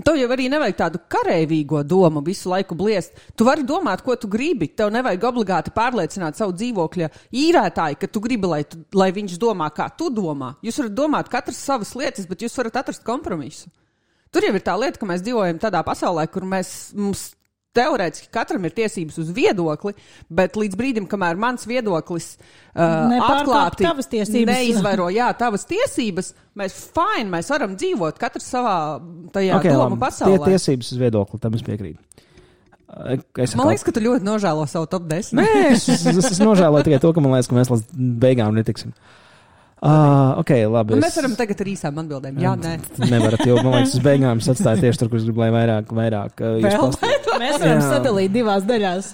Tev jau arī nevajag tādu kareivīgo domu visu laiku bliest. Tu vari domāt, ko tu gribi. Tev nevajag obligāti pārliecināt savu dzīvokļa īrētāju, ka tu gribi, lai, tu, lai viņš domā, kā tu domā. Jūs varat domāt katrs savas lietas, bet jūs varat atrast kompromisu. Tur jau ir tā lieta, ka mēs dzīvojam tādā pasaulē, kur mēs, mums teorētiski katram ir tiesības uz viedokli, bet līdz brīdim, kamēr mans viedoklis uh, atklāti neizvairo, jā, tavas tiesības, mēs fine, mēs varam dzīvot katrs savā tajā okay, domu pasaulē.
Tie tiesības uz viedokli, tam es piekrītu. Es
man liekas, ka tu ļoti nožēlo savu top desmit.
Nē, es, es, es, es nožēloju tikai to, ka man liekas, ka mēs līdz beigām netiksim. Uh, okay, labi,
es... Mēs varam tagad ar īsām atbildēm. Jā, nē.
Nevarat, jo man liekas, uz beigām es atstāju tieši tur, kur es gribu, lai vairāk, vairāk uh, jūs pastāstīt.
Mēs varam jā. sadalīt divās daļās.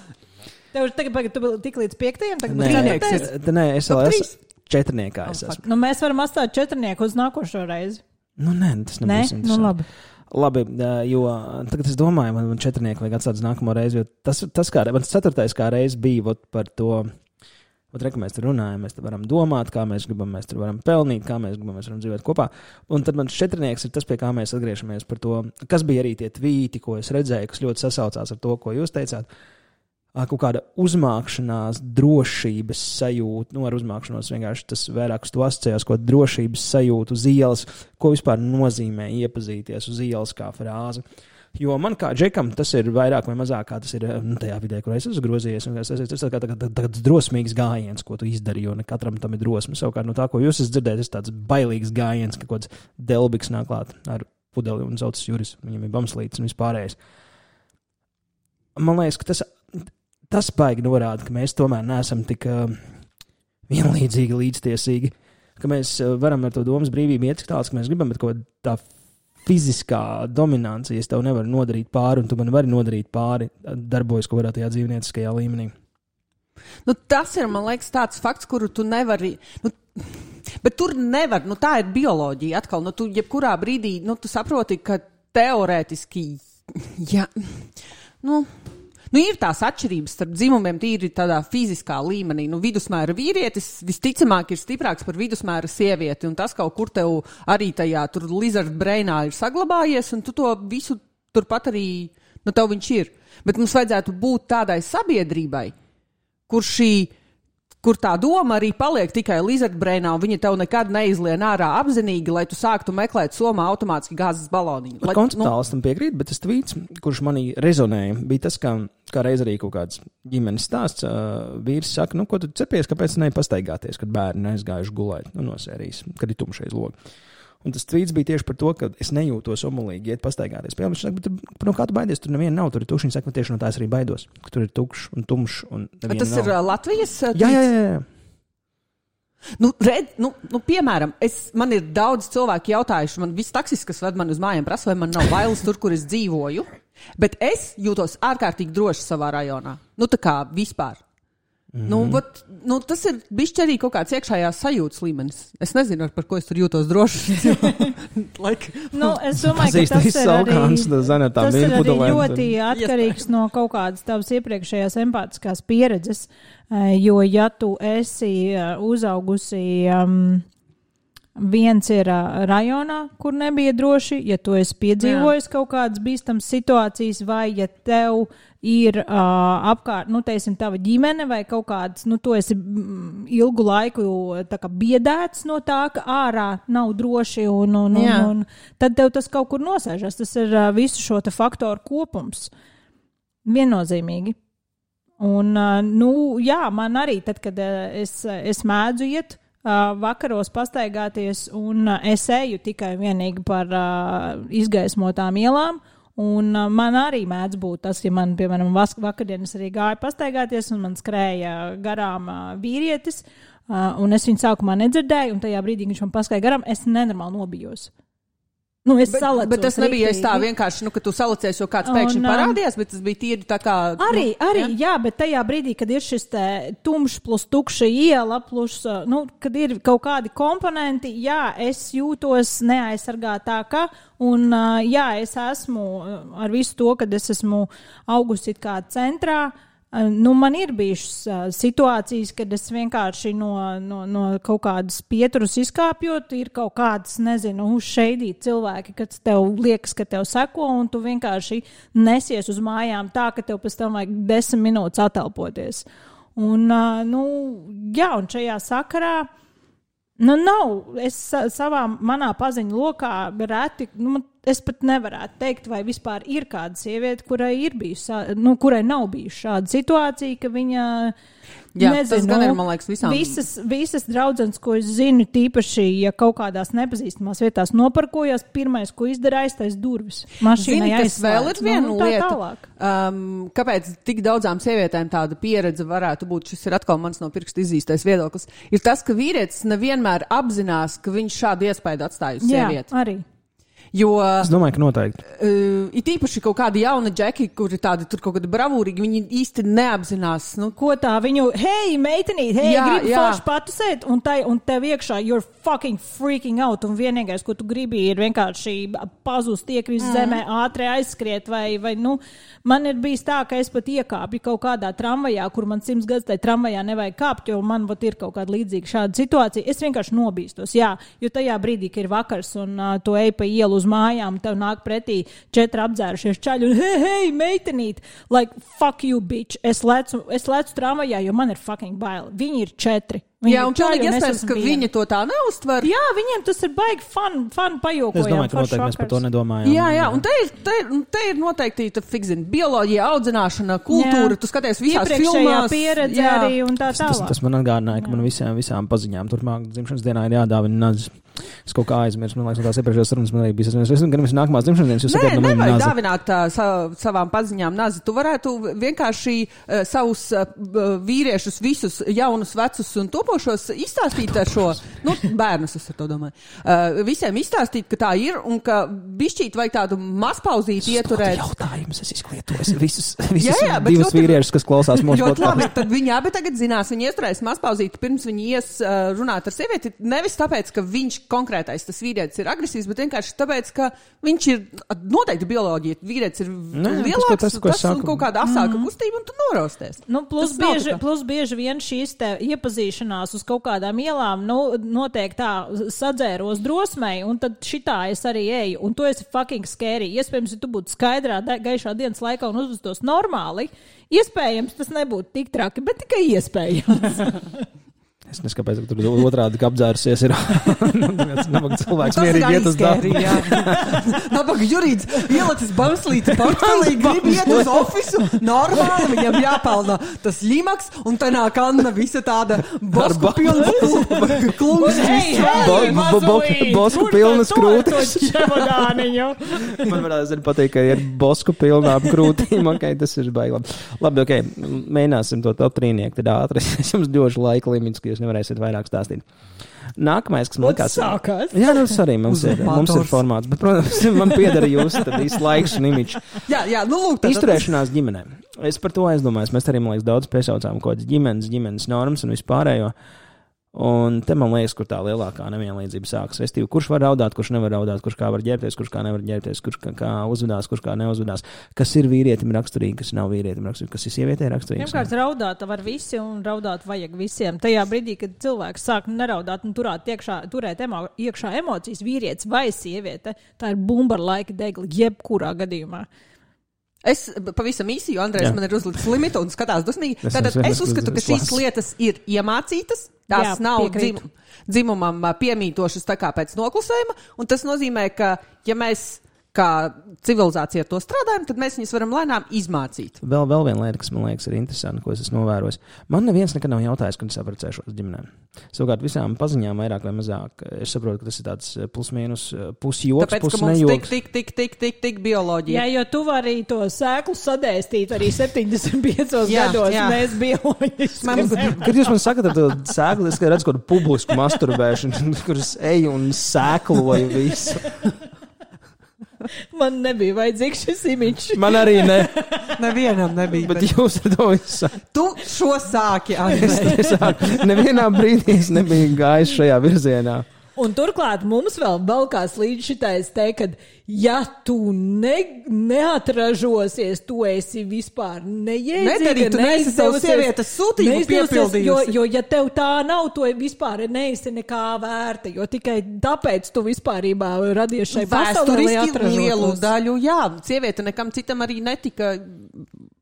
Tev tagad, tagad tu tik līdz piektajam, tagad būs četrnieks.
Nē, es vēl esmu četrniekā. Es esmu.
Nu, mēs varam atstāt četrnieku uz nākošo reizi.
Nu, nē, tas nebūs
interesanti. Nu, labi.
Labi, jo tagad es domāju, man, man četrnieku vajag atstāt uz nākamo reizi, jo tas, tas kā, man ceturtais kā reizi bija vot, par to, vot, re, ka mēs tur runājam, mēs tur varam domāt, kā mēs gribam, mēs tur varam pelnīt, kā mēs gribam, mēs varam dzīvot kopā. Un tad man četrnieks ir tas, pie kā mēs atgriežamies par to, kas bija arī tie tvīti, ko es redzēju, kas ļoti sasaucās ar to, ko jūs teicāt. Kaut kāda uzmākšanās, drošības sajūta, nu ar uzmākšanos vienkārši tas vairāk uz to asociējās, ko drošības sajūta uz ielas, ko vispār nozīmē iepazīties uz ielas kā frāze. Jo man kā džekam tas ir vairāk vai mazāk, kā tas ir nu, tajā vidē, kur es esmu grozījies. Tas ir tāds tā, tā, tā, drosmīgs gājiens, ko tu izdari, jo ne katram tam ir drosme. Savukārt no tā, ko jūs esat dzirdējis, tas tāds bailīgs gājiens, ka kaut kāds delbiks nāk klāt ar pudeli un saucas Juris, viņam ir bamslītis un vispārējais. Man liekas, ka tas, tas baigi norāda, ka mēs tomēr neesam tik uh, vienlīdzīgi, līdztiesīgi, ka mēs uh, varam ar to domas brīvību iet tik tāls, ka mēs gribam, bet kaut tā fiziskā dominancija, es tev nevaru nodarīt pāri, un tu man vari nodarīt pāri, darbojas kaut kādā tajā dzīvnieciskajā līmenī.
Nu, tas ir, man liekas, tāds fakts, kuru tu nevari, nu, bet tur nevar, nu, tā ir bioloģija atkal, nu, tu jebkurā brīdī, nu, tu saproti, ka teorētiski, jā, nu, Nu, ir tās atšķirības starp dzimumiem tīri tādā fiziskā līmenī. Nu, vidusmēra vīrietis visticamāk ir stiprāks par vidusmēra sievieti, un tas kaut kur tev arī tajā tur lizard brainā ir saglabājies, un tu to visu turpat arī, nu, tev viņš ir. Bet mums vajadzētu būt tādai sabiedrībai, kur šī, kur tā doma arī paliek tikai lizard brainā, un viņa tev nekad neizlien ārā apzinīgi, lai tu sāktu meklēt somā automātiski gāzes baloniņu. Lai,
konceptuāli nu... tam piekrīt, bet tas tvīts, kurš manī rezonēja, bija tas, kā, kā reiz arī kaut kāds ģimenes stāsts. Uh, vīrs saka, nu, ko tu cepies, kāpēc nepastaigāties, kad bērni aizgājuši gulēt, nu, no sērijas, kad ir tumšais logs. Un tas tvīts bija tieši par to, ka es nejūtos omulīgi iet pastaigāties. Piemēram, viņš saka, bet no kā tu baidies, tur neviena nav, tur ir tukšs. Viņš saka, tieši no tās arī baidos, ka tur ir tukšs un tumšs un neviena
tas
nav.
Ir uh, Latvijas uh,
jā, jā, jā, jā.
Nu, red, nu, nu, piemēram, es, man ir daudz cilvēku jautājuši, man viss taksis, kas ved mani uz mājām, prasa, vai man nav bailes tur, kur es dzīvoju, bet es jūtos ārkārtīgi droši savā rajonā. Nu, tā kā vispār. Mm-hmm. Nu, vat, nu, tas ir bišķi arī kaut kāds iekšējās sajūtas līmenis. Es nezinu, par ko es tur jūtos droši. like.
Nu, es domāju, ka tas ir arī, tas ir arī ļoti atkarīgs no kaut kādas tavas iepriekšējās empātiskās pieredzes, jo ja tu esi uzaugusi... Um, Viens ir uh, rajonā, kur nebija droši, ja tu esi piedzīvojis kaut kādas bīstamas situācijas, vai ja tev ir uh, apkārt, nu, teiksim, tava ģimene vai kaut kāds, nu, tu esi mm, ilgu laiku tā kā biedēts no tā, ka ārā nav droši, un, un, un, un tad tev tas kaut kur nosēžas. Tas ir uh, visu šo te faktoru kopums. Viennozīmīgi. Un, uh, nu, jā, man arī tad, kad uh, es, es mēdzu iet, Uh, vakaros pastaigāties, un uh, es eju tikai vienīgi par uh, izgaismotām ielām, un uh, man arī mēdz būt tas, ja man, piemēram, vakardienas arī gāja pastaigāties, un man skrēja garām uh, vīrietis, uh, un es viņu sākumā nedzirdēju, un tajā brīdī, viņš man paskaidroja garām, es nenormāli nobijos. Nu, es bet,
bet tas nebija es tā vienkārši, nu, ka tu salacies, jo kāds pēkšņi un, parādījās, bet tas bija tīri tā kā...
Arī,
nu,
arī,
ja?
jā, bet tajā brīdī, kad ir šis te tumšs plus tukša iela, plus, nu, kad ir kaut kādi komponenti, jā, es jūtos neaizsargātāka, un jā, es esmu ar visu to, kad es esmu augusi kā centrā. Nu, man ir bijušas uh, situācijas, kad es vienkārši no, no, no kaut kādas pieturas izkāpjot, ir kaut kādas, nezinu, uzšeidīt cilvēki, kad tev liekas, ka tev seko, un tu vienkārši nesies uz mājām tā, ka tev pēc tam vajag desmit minūtes atelpoties. Un, uh, nu, jā, un šajā sakarā, nu, nav, es savā manā paziņu lokā reti, nu, es pat nevarētu teikt, vai vispār ir kāda sieviete, kurai ir bijusi, nu, kurai nav bijusi šāda situācija, ka viņa,
Jā,
nezinu,
tas gan ir, man liekas, visām.
Visas, visas draudzenes, ko es zinu, tīpaši, ja kaut kādās nepazīstamās vietās noparkojās, pirmais, ko izdara, aiztais durvis. Mašīnai
Zini, kas vēl ir viena
nu,
lieta, um, kāpēc tik daudzām sievietēm tāda pieredze varētu būt, šis ir atkal mans no pirksta izīstais viedoklis, ir tas, ka vīrietis nevienmēr apzinās, ka viņš šādu iespēju atstāj uz sievieti.
Jā, arī.
Jo, es domāju, ka noteikti.
Uh, it īpaši kaut kādi jauni džeki, kuri tādi tur kaut kādi bravūrīgi, viņi īsti neapzinās. Nu,
ko tā viņu, hei, meitenīt, hei,
jā,
gribu
jā.
forši patusēt, un, tai, un tev iekšā, you're fucking freaking out, un vienīgais, ko tu gribi, ir vienkārši pazust, iekrist mm. zemē, ātri aizskriet, vai, vai, nu, man ir bijis tā, ka es pat iekāpju kaut kādā tramvajā, kur man simts gadus tai tramvajā nevajag kāpt, jo man vat ir kaut kāda līdzīga šāda situācija. Es vienkārši nobīstos, jā, jo tajā brīdī, ka ir vakars un uh, tu ej pa ielu uz mājām, tev nāk pretī četri apdzērušies čaļi un hei, hei, meitenīt, like, fuck you, bitch. Es lecu, es lecu tramvajā, jo man ir fucking baili. Viņi ir četri. Viņi
jā, un pilnīgi iespējams, ka
viena.
Viņi to tā neuztver.
Jā, viņiem tas ir baigi fun, fun pajokojām.
Es domāju, ka noteikti mēs par to nedomājam.
Jā, jā, un te ir, te ir, te ir noteikti, tu fikzini, bioloģija, audzināšana, kultūra, jā. Tu skaties visās filmās.
Pieredze jā. Arī un tā tālāk.
Tas, tas man atgādināja, ka man visām, visām paziņām turpmāk dzimšanas dienā ir jādāvina nazis. Es kaut kā aizmirsu, man liekas, no tās iepriekšējās sarunas man arī bija. Es nezinu, gan visu nākamās dzimšanas dienas, jūs sakāt,
no
man
nevajag dāvināt uh, sa, savām paziņām nazi. Tu varētu vienkārši uh, savus uh, vīriešus, visus jaunus, vecus un topošos izstāstīt ar šo, nu, bērnus, es ar to domāju, uh, visiem izstāstīt, ka tā ir un ka bišķīt vajag tādu mazpauzīti ieturēt.
Jautājums, es izklietojos visus, visus
jā, jā,
divus
ļoti,
vīriešus, kas klausās mūsu
podkāstu. Ļoti labi, tad viņi abi tagad zinās, viņi ieturēs mazpauzīti, pirms viņi ies uh, runāt ar sievieti, nevis tāpēc, ka viņš konkrētais tas vīrietis ir agresīvs, bet vienkārši tāpēc, ka viņš ir noteikti bioloģija. Vīrietis ir ne, lielāks, tas, tas, tas un kaut kāda asāka mm. kustība, un tu norosties.
Nu, plus, bieži, plus bieži vien šīs te iepazīšanās uz kaut kādām ielām, nu, notiek tā sadzēros drosmei, un tad šitā es arī eju, un tu esi fucking scary. Iespējams, ja tu būtu skaidrā, gaišā dienas laikā un uzvestos normāli, iespējams, tas nebūtu tik traki, bet tikai iespējams.
Es nezinu, kāpēc tur otrādi apdzērusies ir. Nabaga cilvēks mierīgi iet uz darbu.
Nabaga jurīds ielicis banslītes portfelī, grib iet uz ofisu, normāli viņam jāpelna tas ļimaks, un te nāk Anna visa tāda bosku pilna klungs.
Bosku pilnas krūtis. Man varētu pateikt, ka ir bosku pilnām krūtīm. Okay, tas ir baigi labi. Labi, ok, mēģināsim to top trīnieku, tad ātri. Es jums došu laika limits, ka jūs nevarēsiet vairāk stāstīt. Nākamais, kas man likās...
Sākās.
Jā, nu, tas arī mums ir, mums ir formāts, bet, protams, man piedara jūs tad īsti laiks un imičs.
Jā, jā, nu lūk. Tad,
Izturēšanās ģimenē. Es par to aizdomājos. Mēs arī, man liekas, daudz piesaucām kaut kādas ģimenes, ģimenes normas un vispārējo. Un te man liekas, kur tā lielākā nevienlīdzība sākas. Restīvi, kurš var raudāt, kurš nevar raudāt, kurš kā var ģērbties, kurš kā nevar ģērbties, kurš kā, kā uzvedās, kurš kā neuzvedās. Kas ir vīrietim raksturīgi, kas nav vīrietim raksturīgi, kas ir sievietē raksturīgi.
Pirmkārt, raudāt var visi un raudāt vajag visiem. Tajā brīdī, kad cilvēks sāk neraudāt un turēt, iekšā, turēt emo, iekšā emocijas, vīrietis vai sieviete, tā ir bumba ar laika degli, jebkurā gadījumā.
Es pavisam īsi, jo Andrejs man ir uzlicis limitu un skatās dusmīgi. Tātad es uzskatu, ka šīs lietas ir iemācītas. Tās Jā, nav dzim, dzimumam piemītošas tā kā pēc noklusējuma. Un tas nozīmē, ka ja mēs kā civilizācija ar to strādājam, tad mēs viņus varam lēnām izmācīt.
Vēl, vēl viena lieta, kas man liekas ir interesanti, ko es esmu novērojis. Man neviens nekad nav jautājis, kad es apprecēšos ģimenēm. Savukārt visām paziņām vairāk vai mazāk. Es saprotu, ka tas ir tāds plus-mīnus, pusjoks, pusnejoks.
Tik, tik, tik, tik, tik, tik bioloģija.
Jā, jo tu vari to sēklu sadēstīt arī septiņdesmit piecos jā, gados. Jā. Mēs bioloģiski.
Kad jūs man sakat ar to sēklu, es redzu kaut kādu publisku masturbēšanu, kur es eju un sēkloju visu.
Man nebija vajadzīgs šis imičs.
Man arī ne.
Nevienam nebija.
Bet, bet jūs ar to visu.
Tu šo sāki, Andrej.
Nevienā brīdī es nebiju gājis šajā virzienā.
Un turklāt mums vēl balkās līdz šitais te, kad ja tu ne, neatražosies, tu esi vispār neiedzīga.
Nedarīt, tu neesi savu sievietes sūtību piepildījusi.
Jo, jo ja tev tā nav, tu vispār neesi nekā vērta, jo tikai tāpēc tu vispārībā radies šai pasaulē, lai atražotos.
Lielu daļu, jā, sieviete nekam citam arī netika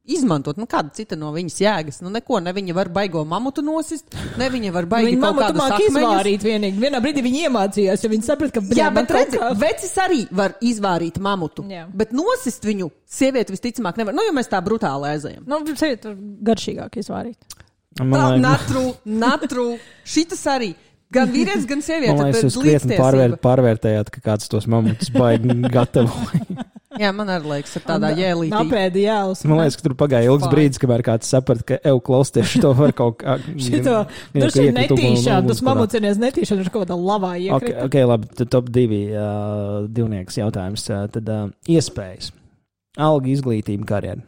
izmantot, nu kāda cita no viņas jēgas, nu neko, ne viņa var baigo mamutu nosist, ne viņa var baigi
viņa
kaut
mamutu
kādas
māk
akmeņus.
izvārīt vienīgi. Vienā brīdī viņa iemācījās, jo viņa saprat, ka...
Jā, bet redzi, vecis arī var izvārīt mamutu,
Jā.
bet nosist viņu sievieti visticamāk nevar, nu jo mēs tā brutāli aizējam.
Nu, sievieti var garšīgāk izvārīt.
Tā, natru, natru, šitas arī. Gan vīrietis, gan sieviete.
Man liekas, jūs krietni pārvēr, pārvērtējāt, ka kāds tos mamutus baigi gatavoja.
Jā, man arī liekas, ar tādā jēlītī.
Napēdi jēlus.
Man liekas, ka tur pagāja ilgs brīdis, kamēr kāds saprat, ka ev klausties šito var kaut kā...
Šito, nu šī netīšana, tas mamucinies netīšana ir kaut kādā lavā iekrita.
Ok, okay labi, tad top divi uh, divnieks jautājums. Uh, tad uh, iespējas. Alga, izglītība, karjera.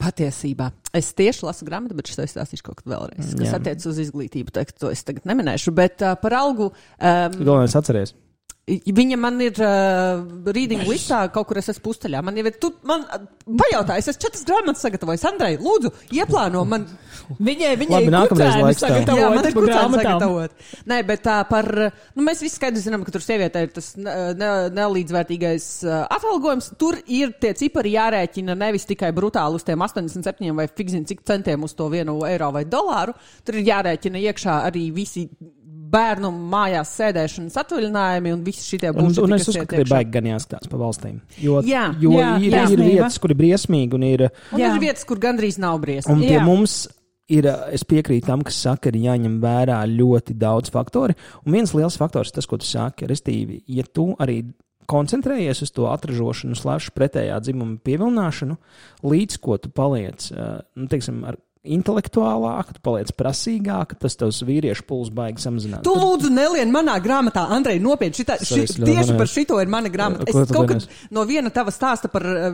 Patiesībā. Es tieši lasu grāmatu, bet šis aizstāstīšu kaut kad vēlreiz, kas
Jā.
attiec uz izglītību. Teikt, to es tagad neminēšu, bet uh, par algu... Um,
Galvenais atceries.
Viņa man ir uh, reading listā, kaut kur es esmu pusteļā. Man jau ir, tu man pajautā, es esmu četras grāmatas sagatavojis. Andrej, lūdzu, ieplāno man.
Viņai, viņai
Labi, nākamreiz laiks tā.
sagatavot.
Jā, man ir kucēni
grāmatām.
sagatavot. Nē, bet tā par, nu mēs visi skaidri zinām, ka tur sievietē ir tas ne, ne, nelīdzvērtīgais uh, atalgojums. Tur ir tie cipari jārēķina nevis tikai brutāli uz tiem astoņdesmit septiņiem vai fikzin cik centiem uz to vienu eiro vai dolāru. Tur ir jārēķina iekšā arī visi bērnu mājās sēdēšanas atvaļinājumi un visi šitie
Un,
bullshiti,
un es
kas
uzskatu,
iet
ka ir
iekšā.
baigi gan jāskatās pa valstīm. Jo,
Jā.
jo
Jā,
ir, ir
briesmība.
vietas, kur ir briesmīgi un ir...
Un
Jā.
ir vietas, kur gandrīz nav briesmi.
Un pie
Jā.
mums ir, es piekrītu tam, kas saka, ir jāņem vērā ļoti daudz faktori. Un viens liels faktors ir tas, ko tu saki, restīvi, ja tu arī koncentrējies uz to atražošanu, slash pretējā dzimuma pievilināšanu, līdz ko tu paliec, nu, teiksim, ar intelektuālāk, tu paliec prasīgāk, tas tavs vīriešu puls baigi samazināt.
Tu lūdzu nelien manā grāmatā, Andrej, nopietni, šitā, ši,
Es ļoti
tieši
manēju.
par šito ir mana grāmata.
Ko
Es
tu
kaut
vienēs?
kad no viena tava stāsta par uh,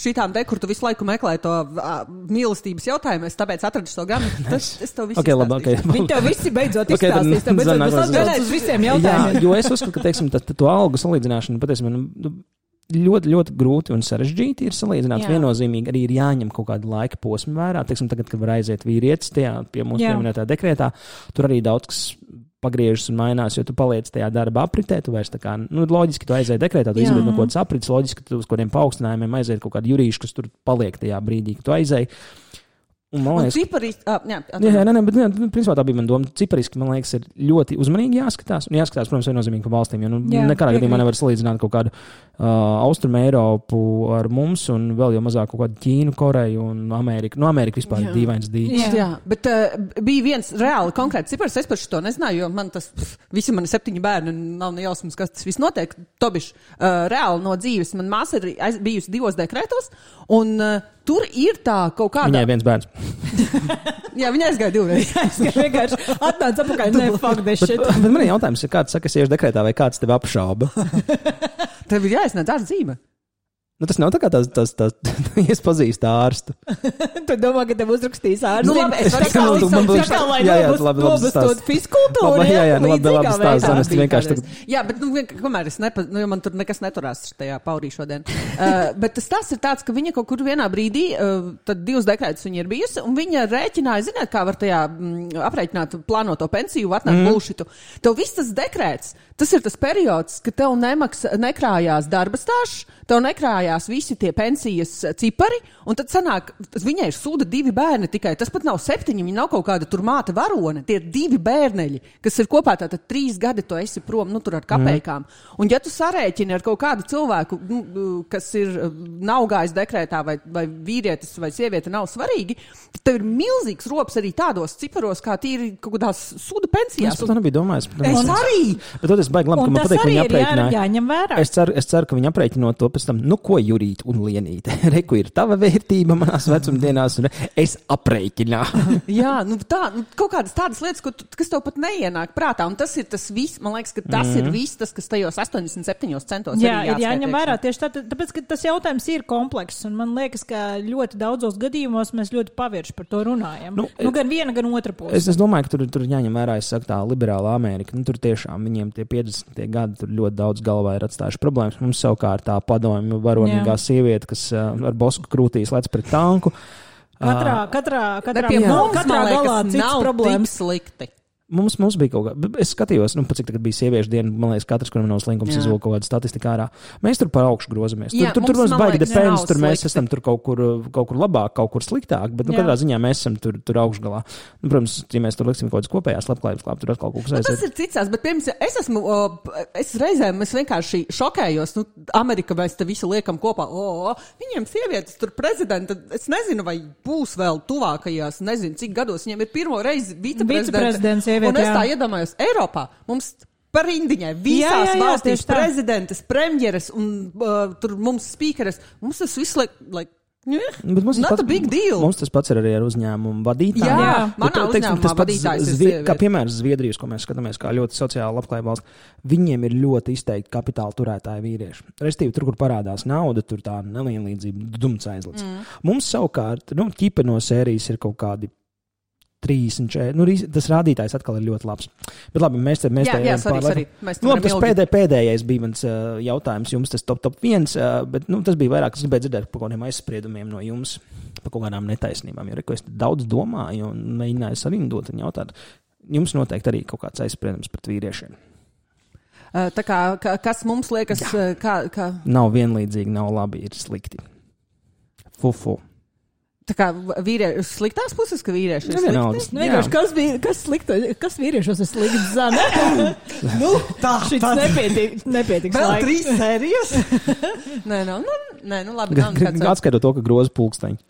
šitām te, kur tu visu laiku meklēji to uh, mīlestības jautājumu, es tāpēc atradu šo grāmatu. Tas, es to visu
Okay, labi, okay.
Viņi tev visi beidzot
Ok, tad
izstāstīs, tev beidzot
zanāk,
būs
zanāk.
atbildes uz visiem
Jā,
jautājumiem.
jo es uzskatu, ka, teiksim, tā, tā, to algu salīdzināšanu patiesībā nu, nu, ļoti, ļoti grūti un sarežģīti ir salīdzināt.
Jā.
Viennozīmīgi arī ir jāņem kaut kāda laika posma vērā. Teiksim, tagad, kad var aiziet vīrietis tajā pie mums
Jā.
pieminētā dekrētā, tur arī daudz kas pagriežas un mainās, jo tu paliec tajā darba apritē, tu vairs tā kā, nu, loģiski tu aizēji dekrētā, tu
Jā.
izvēli no kaut kādas aprits, loģiski tu uz kādiem paaugstinājumiem aizēji kaut kādu jurīšu, kas tur paliek tajā brīdī, kad tu aizēji. Un, man
Un
liekas,
ciparīs, uh, jā,
Jā, jā, nē, nē, bet jā, principā tā bija mana doma. Cipariski, man liekas, ir ļoti uzmanīgi jāskatās. Un jāskatās, protams, viennozīmīgi pa valstīm. Jo nu,
Jā,
nekādā gadījumā
piekrīt.
nevar salīdzināt kaut kādu uh, Austrumu Eiropu ar mums un vēl jau mazāk kaut kādu Ķīnu, Koreju un Ameriku. Nu, Amerika vispār
Jā.
ir dīvains dīķis.
Jā.
Jā, bet uh, bija viens reāli konkrēts cipars, es par šo nezināju, jo man tas, pff, visi mani septiņi bērni, nav ne jausmas, kas tas viss notiek. Tobiš, uh, reāli no dzīves, man māsa ir aiz, bijusi divos dekrētos, un uh, tur ir tā kaut kāda...
Viņai viens bērns.
Jā, viņa aizgāja divreiz.
Es vienkārši atnācu apakaļ, ne, fuck this
Bet,
shit.
bet man ir jautājums, ja kāds saka, es iešu dekrētā vai kāds tevi apšauba.
Tev ir jāiesniedz ārsta zīme.
Nu, tas nav tā kā tas, tas, tas, es pazīstu ārstu.
Tu domā, ka tev uzrakstīs ārsts?
Nu, labi, es
tā
varu
kā
stāstīt,
līdz
man būs-
tā kā, lai
jā, jā,
nobust-
labi, labi
nobustot
stāst.
fiskultūru,
Labi, jā, jā, nu, labi, labi
līdzīgā
stāst,
veidā.
Zana, es vienkārši
Kādreiz. Jā, bet, nu, vien- kamēr es nepa, nu, jo man tur nekas neturās tajā paurī šodien. Uh, bet tas tas ir tāds, ka viņa kaut kur vienā brīdī, uh, tad divas dekrētas viņa ir bijusi, un viņa rēķināja, ziniet, kā var tajā mm, aprēķināt plānoto pensiju, atnāk mm. bullshitu. Tev viss tas dekrēts, tas ir tas periods, ka tev nemaks, nekrājās darba stāžs, tev nekrājās visi tie pensijas cipari, un tad sanāk, viņai ir sūda divi bērni tikai, tas pat nav septiņi, viņa nav kaut kāda tur māte varone, tie ir divi bērneļi, kas ir kopā tātad trīs gadi, tu esi prom, nu tur ar kapējkām. Mm. Un ja tu sarēķini ar kaut kādu cilvēku, nu, kas ir, nav gājis dekrētā, vai, vai vīrietis vai sieviete nav svarīgi, tad tev ir milzīgs rops arī tādos ciparos, kā tīri kaut kādās sūda pensijās.
Es pat nebiju domājis. Bet,
Es arī!
Bet tad es baigi labi, ka
Un
man
tas
patīk, ka
arī
viņi
ir jā,
aprēķināja.
jāņem vērā.
Es ceru, es ceru, ka viņi aprēķinot to pēc tam, nu ko Jurīt un Lienīte. Reku ir tava vērtība manās vecumdienās, un es aprēķināju.
Jā, nu tā, nu, kaut kādas tādas lietas, ko tu, kas tev pat neienāk prātā, un tas ir tas viss, man liekas, ka tas mm. ir viss, tas, kas tajos astoņdesmit septiņos centos
Jā,
arī
ir jāņem
jāatskaita
vērā
iekšā.
tieši tā, tāpēc, ka tas jautājums ir komplekss, un man liekas, ka ļoti daudzos gadījumos mēs ļoti pavirši par to runājam.
Nu,
Nu, nu gan viena, gan otra puse.
Es, es domāju, ka tur, tur jāņem vērā, es saku, tā liberāla Amerika. Nu, tur tiešām viņiem tie piecdesmitie gadi tur ļoti daudz galvā ir atstājuši problēmas. Mums savukārt tā padomju varonīgā
Jā.
sieviete, kas uh, ar bosku krūtīs lec pret tanku.
Katrā, katrā, katrā,
Bet pie
no,
mums,
katrā
man liekas,
galā cits
nav
problēmas.
tik slikti.
Mums, mums bija kaut kā, es skatījos, nu, cik tagad bija sieviešu diena, man liekas, katrs, kuram nav slinkums, izvilka kaut kādu statistiku ārā. Mēs tur par augšu grozamies. Tur,
Jā,
tur, tur
mums,
mums baigi
liekas,
depends, tur mēs
slikti.
esam tur kaut kur, kaut kur labāk, kaut kur sliktāk, bet, nu,
Jā.
katrā ziņā mēs esam tur, tur augšgalā. Nu, protams, ja mēs tur liksim kaut kādas kopējās labklājības klāp, tur atkal kaut kas
Nu, tas
aiziet.
ir cits, bet, piemēram, es esmu, o, es reizēm, es vienkārši šokējos, nu, Amerika mēs te visu liekam kopā, o, o, viņiem sievietes tur prezidenta, es nezinu, vai būs vēl tuvākajās, nezinu, cik gados viņiem ir pirmo reizi viceprezidenta.
Viceprezidents sieviete,
un es tā
jā.
iedomājos, Eiropā mums par indiņai visās
Jā, jā, jā,
valstīs
tieši tā.
prezidentes, premjeras un uh, tur mums spīkeres, mums tas viss liek, like, yeah,
Bet mums tas
not
pats-
a big deal.
Mums tas pats ir arī ar uzņēmumu vadītājiem.
Jā,
Bet,
manā
teiksim,
uzņēmumā
tas pats
vadītājs ir
Zvie-
sieviete.
Kā piemērs Zviedrijas, ko mēs skatāmies kā ļoti sociāli labklājība valsts, viņiem ir ļoti izteikti kapitāla turētāji vīrieši. Restīvi, tur, kur parādās nauda, tur tā nelienlīdzība, dumts aizlids. Mm. Mums savukārt, nu, ķipa no sērijas ir kaut kādi trīsdesmit četri. Nu, rīs- tas rādītājs atkal ir ļoti labs. Bet labi, mēs te mēs
Jā,
te
jā,
ejam
sorry,
pāri laikam.
sorry. Mēs
Nu, labi,
varam
tas
ilgi-
pēdē, pēdējais bija mans uh, jautājums jums, tas top, top viens, uh, bet nu, tas bija vairāk, es gribēju dzirdēt par kaut kādiem aizspriedumiem no jums, par kaut kādām netaisnībām, jo re, ko es daudz domāju un mēģināju sarindot un jautāt. Jums noteikti arī kaut kāds aizspriedums pret vīriešiem.
Uh, Tā kā, ka, kas mums liekas, uh, kā, kā,
Nav vienlīdzīgi, nav labi, ir slikti. Fufu.
tā kā vīrieši, sliktās puses, ka vīrieši ir
Nu,
slikti?
vienalga.
Nu, vienkārši, kas, bija, kas, slikta, kas vīriešos ir slikts zana?
Nu, tā,
Šis nepietiek, nepietiks
Vēl
laika.
trīs sērijas? nē, nu, nu, nē, nu labi. nav nekāds-
Atskaidot to, ka groza pulksteņi.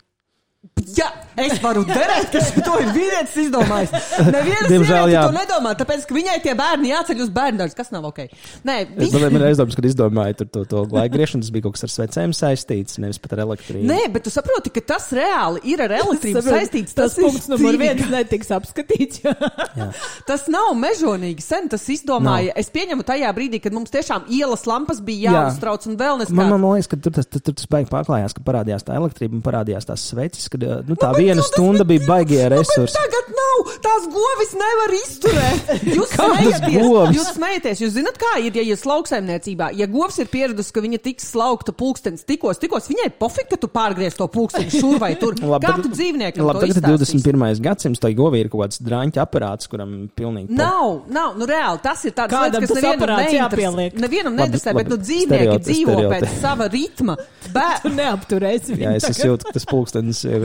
Jā, es varu derēt, ka to ir vīrietis izdomājis. Neviena
Diemžēl,
sieviete
jā.
to nedomā, tāpēc, ka viņai tie bērni jāceļ uz bērndārzu, kas nav ok. Nē,
Es
vis...
man ir aizdomas, kad izdomāju tur to, to laiku griešanu, tas bija kaut kas ar svecēm saistīts, nevis pat ar elektrību.
Nē, bet tu saproti, ka tas reāli ir ar elektrību
Saprot,
saistīts.
Tas
ir
punkts numur
dzīvīgi.
viens netiks apskatīts.
Jā.
Tas nav mežonīgi sen, tas izdomāja. Es pieņemu tajā brīdī, kad mums tiešām ielas lampas bija
Jā.
jāuztrauc un vēl
Man, man,
neskatīt.
man liekas, ka tur tas, tur, tur tas baigi pārklājās, ka parādījās tā elektrība un parādījās tās sveces, kad nu, tā viena stunda bija baigie resursi.
Tagad nav, tās govis nevar izturēt. Jūs
Kādas
smejaties,
govis?
jūs smejaties, jūs zināt, kā ir, ja jūs lauksaimniecībā, ja govs ir pieradusi, ka viņa tiks slaukta pulkstenis tikos, tikos, viņai pofik, ka tu pārgriez to pulksteni šur vai tur.
Labi,
Kā
tad-
tu dzīvniekam
Labi,
to
tagad ir
izstāstīsi?
divdesmit pirmais gadsimts, tai govī ir kaut kāds drāņķa aparāts, kuram pilnīgi. po-
Nav, nav, nu reāli, tas ir tāds
Kādam
lietas, kas
tas
nevienam
aparāts
neinteresē.
jāpieliek?
Nevienam
Labi,
neinteresē,
labi,
bet nu dzīvnieki
stereoti-
dzīvo
stereoti.
pēc sava ritma. Bet,
Tu neapturēsi
Jā,
viņu
es, es
tagad.
jūtu, ka tas pulkstenis ir,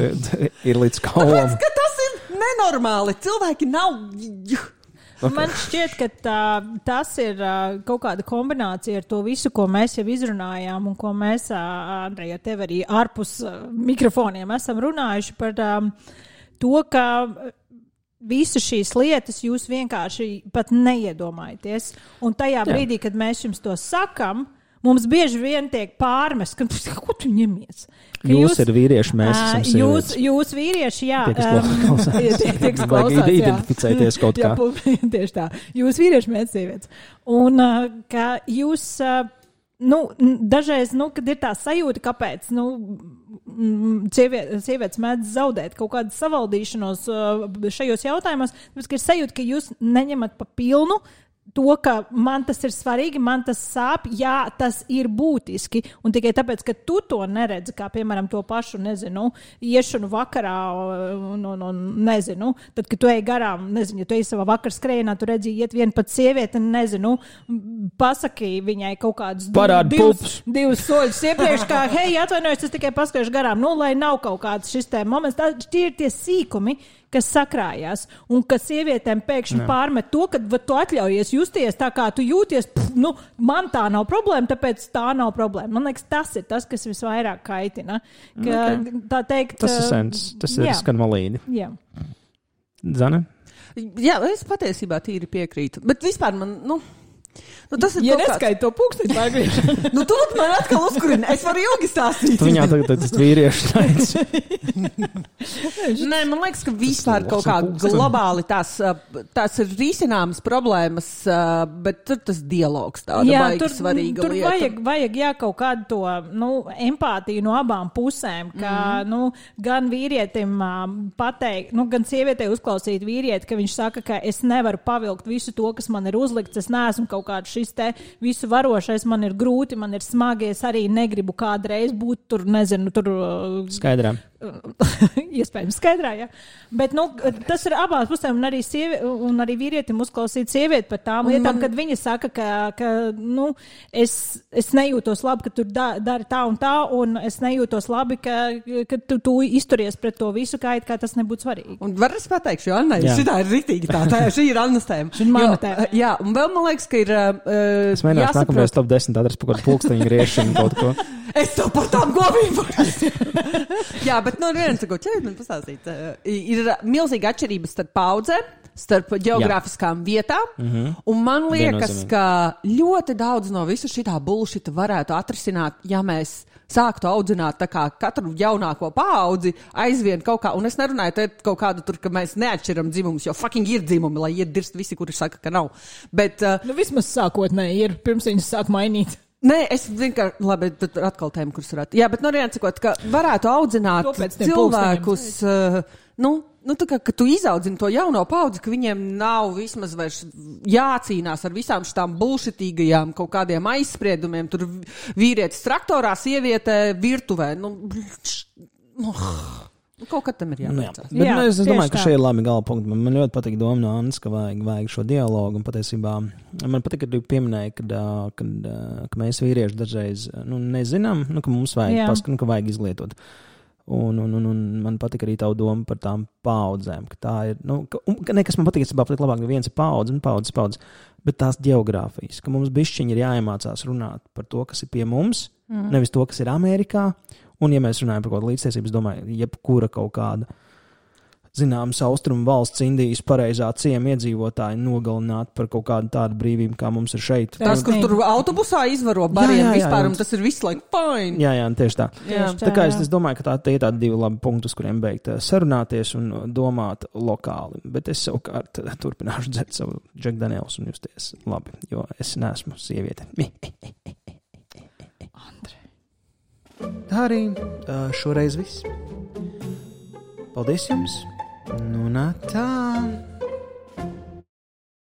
ir līdz kaulam.
ka tas ir nenormāli. Cilvēki nav.
Man šķiet, ka tā, tas ir uh, kaut kāda kombinācija ar to visu, ko mēs jau izrunājām, un ko mēs, uh, Andrej, ar tevi arī ārpus uh, mikrofoniem esam runājuši par um, to, ka visas šīs lietas jūs vienkārši pat neiedomājaties. Un tajā brīdī, kad mēs jums to sakam, mums bieži vien tiek pārmest, ka ko tu ņemies? Ka
Jūs ir vīrieši, mēs esam
ā, jūs,
sievietes.
jūs vīrieši, jā.
Tie, kas
um,
klausās.
tie, tie, kas
Vajag
klausās, jā.
identificēties kaut
Jā,
kā.
pu- tieši tā. Jūs vīrieši, mēs sievietes. Un uh, ka jūs, uh, nu, n- dažreiz, nu, kad ir tā sajūta, kāpēc, nu, mm, sievie- sievietes mēdz zaudēt kaut kādu savaldīšanos uh, šajos jautājumos, tāpēc, ka ir sajūta, ka jūs neņemat pa pilnu to, ka man tas ir svarīgi, man tas sāp, jā, tas ir būtiski. Un tikai tāpēc, ka tu to neredzi, kā piemēram to pašu, nezinu, iešanu vakarā, un, un, un nezinu, tad, kad tu ej garām, nezinu, ja tu ej savā vakar skrējienā, tu redzi, iet viena pat sieviete, nezinu, pasaki viņai kaut kādus
Parādi
divus,
pupus.
divus soļus iepriekš, kā, hei, atvainojos, es tikai paskriešu garām, nu, lai nav kaut kāds šis te moments, tā, tie ir tie sīkumi, kas sakrājās, un ka sievietēm pēkšņi Jā. pārmet to, ka va, tu atļaujies justies tā, kā tu jūties, pf, nu, man tā nav problēma, tāpēc tā nav problēma. Man liekas, tas ir tas, kas visvairāk kaitina. Ka, okay. Tā teikt,
Tas ir sens, tas ir
jā.
skan valīdi.
Jā.
Zane?
Jā, es patiesībā tīri piekrītu. Bet vispār man, nu, nu tas ir
Ja
kaut kāds-
neskaita to pūksteni pārgriešanu.
Nu, tu man atkal uzkurina. Es varu ilgi stāstīt.
Tu viņā tagad tas vīrieši teic.
Nē, man liekas, ka vispār
Tas
kaut kā
pulksteni.
globāli tās, ā, tās ir risināmas problēmas, ā, bet tur tas dialogs tāda
Jā,
baigi
tur,
svarīga
tur
lieta.
vajag, vajag jā, kaut kādu to nu, empātiju no abām pusēm. Ka, mm. nu, gan vīrietim um, pateikt, nu, gan sievietei uzklausīt vīrieti, ka viņš saka, ka es nevaru pavilkt visu to, kas man ir uzlikts. Es neesmu kaut kāds šis te visu varošais man ir grūti, man ir smagi, es arī negribu kādreiz būt tur, nezinu, tur...
Skaidrā.
Iespējams skaidrā, jā. Bet, nu, tas ir abās pusēm, un arī, sievi, un arī vīrietim uzklausīt sievieti par tām lietām, man... kad viņa saka, ka, ka nu, es, es nejūtos labi, ka tu da, dari tā un tā, un es nejūtos labi, ka, ka tu, tu izturies pret to visu, kā, kā tas nebūtu svarīgi.
Un var es pateikšu, jo Anna, šitā ir rītīgi tā, tā šī ir Annas tēma.
Šī ir mana tēma.
Jā, un vēl man liekas, ka ir uh,
es mēģināšu jāsaprot... nākamais top desmit adres par kādu pulksteņu griešanu kaut ko.
Es to par tām govīm Jā, bet no viens, ko ķēri man pastāstīt, uh, ir milzīga atšķirība starp paudzēm, starp geogrāfiskām Jā. vietām, mm-hmm. un man liekas, ka ļoti daudz no visu šitā bullshita varētu atrisināt, ja mēs sāktu audzināt tā kā katru jaunāko paudzi aizvien kaut kā, un es nerunāju te kaut kādu tur, ka mēs neatšķiram dzimumus, jo fucking ir dzimumi, lai iet dirst visi, kuri saka, ka nav. Bet, uh,
nu, vismaz sākotnēji ir, pirms viņas sāk mainīt.
Nē, es vienkārši, labi, tad atkal tēma, kuras varētu. Jā, bet no viens sakot, ka varētu audzināt cilvēkus, uh, nu, nu, tā kā, ka tu izaudzini to jauno paudzi, ka viņiem nav vismaz vairs jācīnās ar visām šitām bullshitīgajām kaut kādiem aizspriedumiem, tur vīrietis traktorā, sieviete virtuvē, nu, nu, nu kaut kad tam ir jāmēcās.
Bet jā, nu, es, es domāju, ka šie ir labi gala punkti. Man, man ļoti patīk doma no Annas, ka vajag, vajag šo dialogu, un patiesībā man patīk, ka tu pieminēji, kad, kad, ka mēs vīrieši dažreiz, nu, nezinām, nu, ka mums vajag paskat, nu, ka vajag izglietot. Un, un, un, un man patīk arī tavu domu par tām paudzēm, ka tā ir, nu, ka, un, ka nekas man patīk, es patīk labāk, ka viens ir paudze un paudzes paudze, bet tās geogrāfijas, ka mums bišķiņi ir jāiemācās runāt par to, kas ir pie mums, mm. nevis to, kas ir Amerikā. Un, ja mēs runājam par kaut kādu līdztiesību, es domāju, jebkura kaut kāda, zināms, austrumu valsts Indijas pareizā ciema iedzīvotāji nogalināt par kaut kādu tādu brīvību, kā mums ir šeit.
Tas, kur tur autobusā izvaro bariem vispār, un tas ir viss like fine.
Jā, jā, tieši tā.
Jā.
Tā kā es, es domāju, ka tā, tie ir tādi divi labi punkti, uz kuriem beigt sarunāties un domāt lokāli. Bet es savukārt turpināšu dzert savu Jack Daniels un justies labi, jo es neesmu sieviete.
Andre.
Tā arī šoreiz viss. Paldies jums! Nu, nā tā!